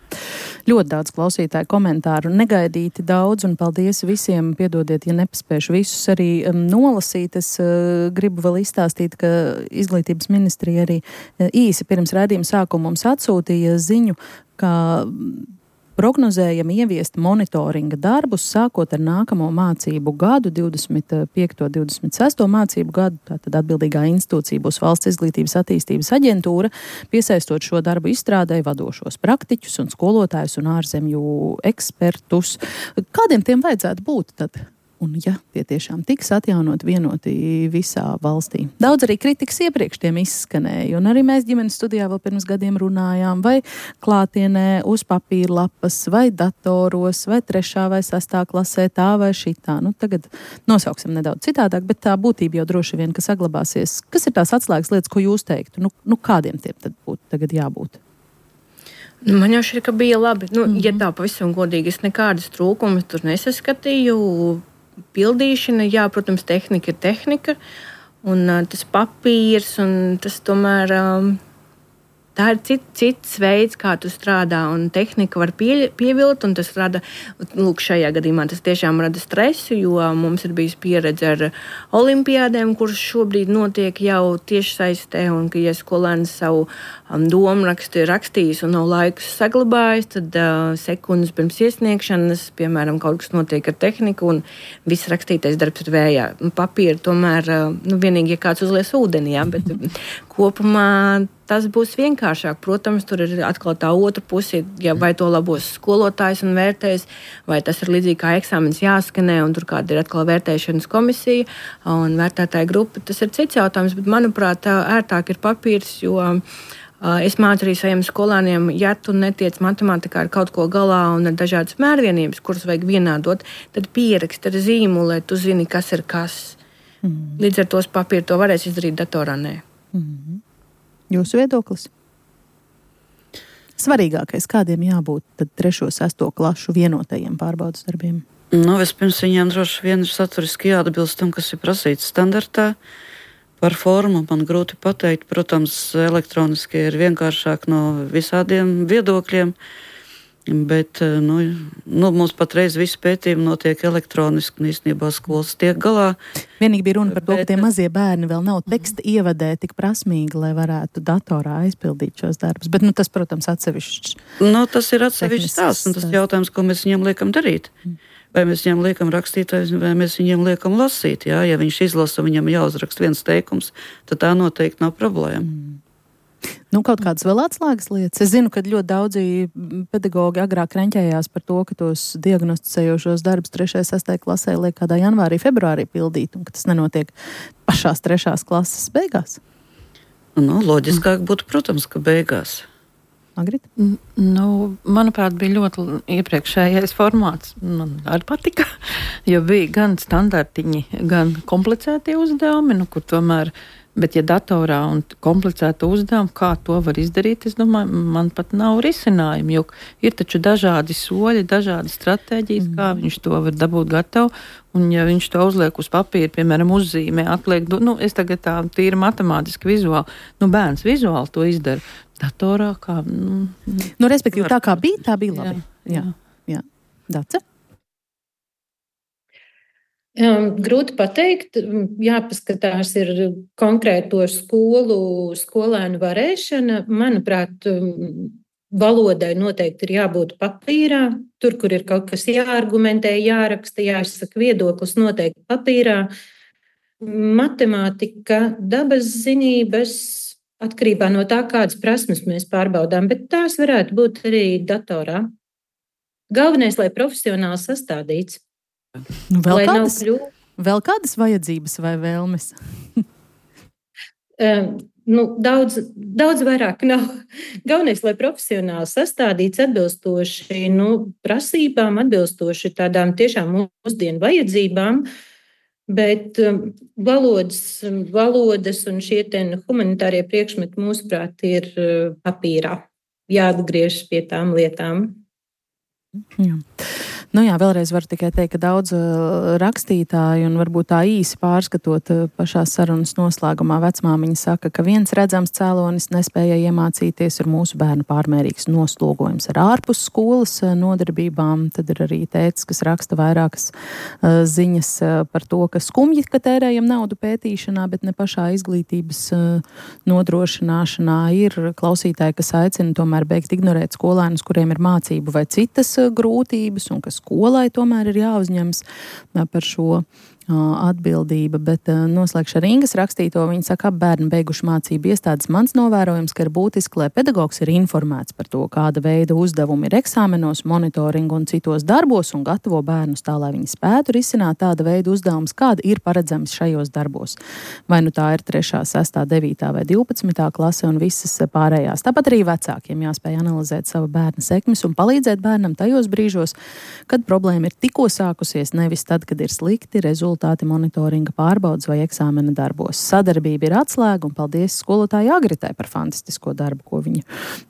Ļoti daudz klausītāju komentāru, negaidīti daudz, un paldies visiem. Piedodiet, ja nepaspēšu visus arī um, nolasīt. Es uh, gribu vēl izstāstīt, ka Izglītības ministrija arī uh, īsi pirms raidījuma sākuma mums atsūtīja ziņu, ka prognozējam ieviest monitoringa darbus sākot ar nākamo mācību gadu, divdesmit piekto divdesmit sesto mācību gadu. Tātad atbildīgā institūcija būs Valsts izglītības attīstības aģentūra, piesaistot šo darbu izstrādēji vadošos praktiķus un skolotājus un ārzemju ekspertus. Kādiem tiem vajadzētu būt tad? Un ja tie tiešām tiks atjaunot vienoti visā valstī. Daudz arī kritikas iepriekš tiem izskanēja, un arī mēs ģimenes studijā vēl pirms gadiem runājām, vai klātienē uz papīra lapas, vai datoros, vai trešā vai sastā klasē, tā vai šitā. Nu, tagad nosauksim nedaudz citādāk, bet tā būtība jau droši vien, ka saglabāsies. Kas ir tās atslēgas lietas, ko jūs teiktu? Nu, nu kādiem tiem tad būtu tagad jābūt? Man jau šķiet, ka bija labi. Nu, mm-hmm. Ja tā pavisam godīgi, es nekādas trūkumus tur nesaskatīju. Pildīšana, jā, protams, tehnika ir tehnika, un uh, tas papīrs, un tas tomēr um, tā ir cit, cits veids, kā tu strādā, un tehnika var pie, pievilt, un tas rada, lūk, šajā gadījumā tas tiešām rada stresu, jo mums ir bijis pieredze ar olimpiādēm, kuras šobrīd notiek jau tieši saistē, un ka, ja skolēns savu um, domrakstu ir rakstījis un nav laikus saglabājis, tad uh, sekundes pirms iesniegšanas, piemēram, kaut kas notiek ar tehniku, un viss rakstītais darbs ir vējā. Papīra tomēr, uh, nu, vienīgi, ja kāds uzlies ūdenī, jā, bet kopumā tas būs vienkāršāk. Protams, tur ir atkal tā otra puse, ja vai to labos skolotājs un vērtēs, vai tas ir līdzīgi kā eksāmens jāskanē, un tur kāda ir atkal vērtēšanas komisija un vērtētāja grupa. Tas ir cits jautājums, bet, manuprāt, ērtāk ir papīrs, jo uh, es mācu arī saviem skolāniem, ja tu netiec matemātikā ar kaut ko galā un ar dažādas mērvienības, kuras vajag vienādot, tad pierakst ar zīmolu, lai tu zini, kas ir kas. Mm. Līdz ar tos papīru to varēs izdarīt datorā, nē. Mm. Jūsu viedoklis? Svarīgākais, kādiem jābūt tad trešo, sesto klašu vienotajiem pārbaudas darbiem? Nu, vispirms viņiem droši vien ir saturiski jāatbilst tam, kas ir prasīts standartā. Par formu man grūti pateikt. Protams, elektroniski ir vienkāršāk no visādiem viedokļiem, bet nu, nu, mums patreiz visi pētījumi notiek elektroniski, un īstenībā skolas tiek galā. Vienīgi bija runa par to, bet, ka tie mazie bērni vēl nav teksta ievadē tik prasmīgi, lai varētu datorā aizpildīt šos darbus. Bet nu, tas, protams, atsevišķs. Nu, tas ir atsevišķs tās, un tas jautājums, ko mēs viņiem liekam darīt. Vai mēs viņiem liekam rakstīt, vai mēs viņiem liekam lasīt. Jā? Ja viņš izlasa, viņam jāuzraksta viens teikums, tad tā noteikti nav problēma. Mm. Nu, kaut kādas vēl atslēgas lietas. Es zinu, ka ļoti daudzi pedagogi agrāk reņķējās par to, ka tos diagnosticējošos darbus trešajā, sestajā klasē liek kādā janvārī, februārī pildīt, un ka tas nenotiek pašās trešās klases beigās. Nu, loģiskāk būtu, protams, ka beigās. Margarita? Nu, manuprāt, bija ļoti iepriekšējais formāts. Man arī patika, jo bija gan standartiņi, gan komplicētie uzdevumi, nu, kur tomēr. Bet, ja datorā un komplicēta uzdevuma, kā to var izdarīt, es domāju, man pat nav risinājumu, jo ir taču dažādi soļi, dažādi stratēģijas, mm. kā viņš to var dabūt gatavu, un ja viņš to uzliek uz papīra, piemēram, uzzīmē, atliek, nu, es tagad tā tīri matemātiski vizuāli, nu, bērns vizuāli to izdara, datorā kā, nu... Nu, respektīvi, tā kā bija, tā bija labi. Jā, jā. jā. Dace? Grūti pateikt, jāpaskatās ir konkrēto skolu, skolēnu varēšana. Manuprāt, valodai noteikti ir jābūt papīrā. Tur, kur ir kaut kas jāargumentē, jāraksta, jāsaka viedoklis, noteikti papīrā. Matemātika, dabas zinības, atkarībā no tā, kādas prasmes mēs pārbaudām, bet tās varētu būt arī datorā. Galvenais, lai profesionāli sastādīts. Nu, vēl, kādas, vēl kādas vajadzības vai vēlmes? um, nu, daudz, daudz vairāk nav. Galvenais, lai profesionāli sastādīts atbilstoši nu, prasībām, atbilstoši tādām tiešām mūsdienu vajadzībām, bet um, valodas, valodas un šie ten humanitārie priekšmeti mūsuprāt ir uh, papīrā. jāatgriežas pie tām lietām. Jā. Nu jā, vēlreiz varu tikai teikt, ka daudz uh, rakstītāju un varbūt tā īsi pārskatot uh, pašā sarunas noslēgumā vecmāmiņa saka, ka viens redzams cēlonis nespēja iemācīties ir mūsu bērnu pārmērīgs noslogojums ar ārpus skolas uh, nodarbībām. Tad ir arī tētis, kas raksta vairākas uh, ziņas uh, par to, ka skumji, ka tērējam naudu pētīšanā, bet ne pašā izglītības uh, nodrošināšanā. Ir klausītāji, kas aicina tomēr beigt ignorēt skolēnus, kuriem ir mācību vai citas uh, grūtības un kas skolai tomēr ir jāuzņems par šo atbildība, bet noslēgšu ar Ingas rakstīto. Viņa saka, ap bērni beiguši mācību iestādes. Mans novērojums, ka ir būtiski, lai pedagogs ir informēts par to, kāda veida uzdevumi ir eksāmenos, monitoringu un citos darbos un gatavo bērnus tā, lai viņi spētu risināt tāda veida uzdevumus, kāda ir paredzams šajos darbos. Vai nu tā ir trešā, sestā, devītā vai divpadsmitā klase un visas pārējās. Tāpat arī vecākiem jāspēj analizēt sava bērna sekmes un palīdzēt bērnam tajos brīžos, kad problēma ir tikko sākusies, nevis tad, kad ir slikti rezultāti. Monitoringa pārbaudas vai eksāmena darbos. Sadarbība ir atslēga un paldies skolotāju Agritai par fantastisko darbu, ko viņa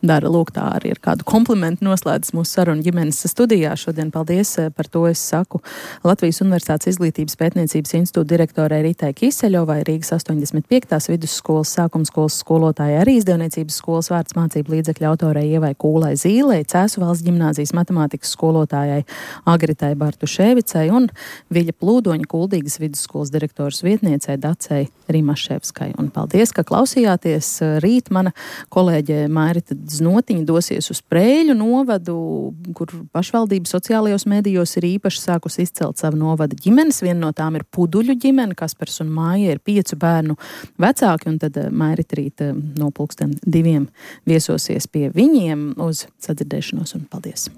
dara. Lūk, tā arī ir kādu komplimentu noslēdzas mūsu sarunu ģimenes studijā. Šodien paldies par to es saku Latvijas Universitātes izglītības pētniecības institūta direktorai Ritai Kiseļovai, Rīgas astoņdesmit piektās vidusskolas sākumskolas skolotājai, arī izdevniecības skolas vārds mācību līdzekļu autorei Ievai Kūlai Zīlei, Cēsu valsts ģimnāzijas matemātikas skolotājai Agritai Bartuševicai un Viļa Plūdoņa Kuldīgas vidusskolas direktoras vietniecei Dacei Rimaševskai. Un paldies, ka klausījāties. Rīt mana kolēģe Mairita Znotiņa dosies uz Prēļu novadu, kur pašvaldība sociālajos medijos ir īpaši sākus izcelt savu novada ģimenes. Viena no tām ir Puduļu ģimene, Kaspars un Māja ir piecu bērnu vecāki, un tad Mairita rīt no pulksten diviem viesosies pie viņiem uz sadzirdēšanos un paldies.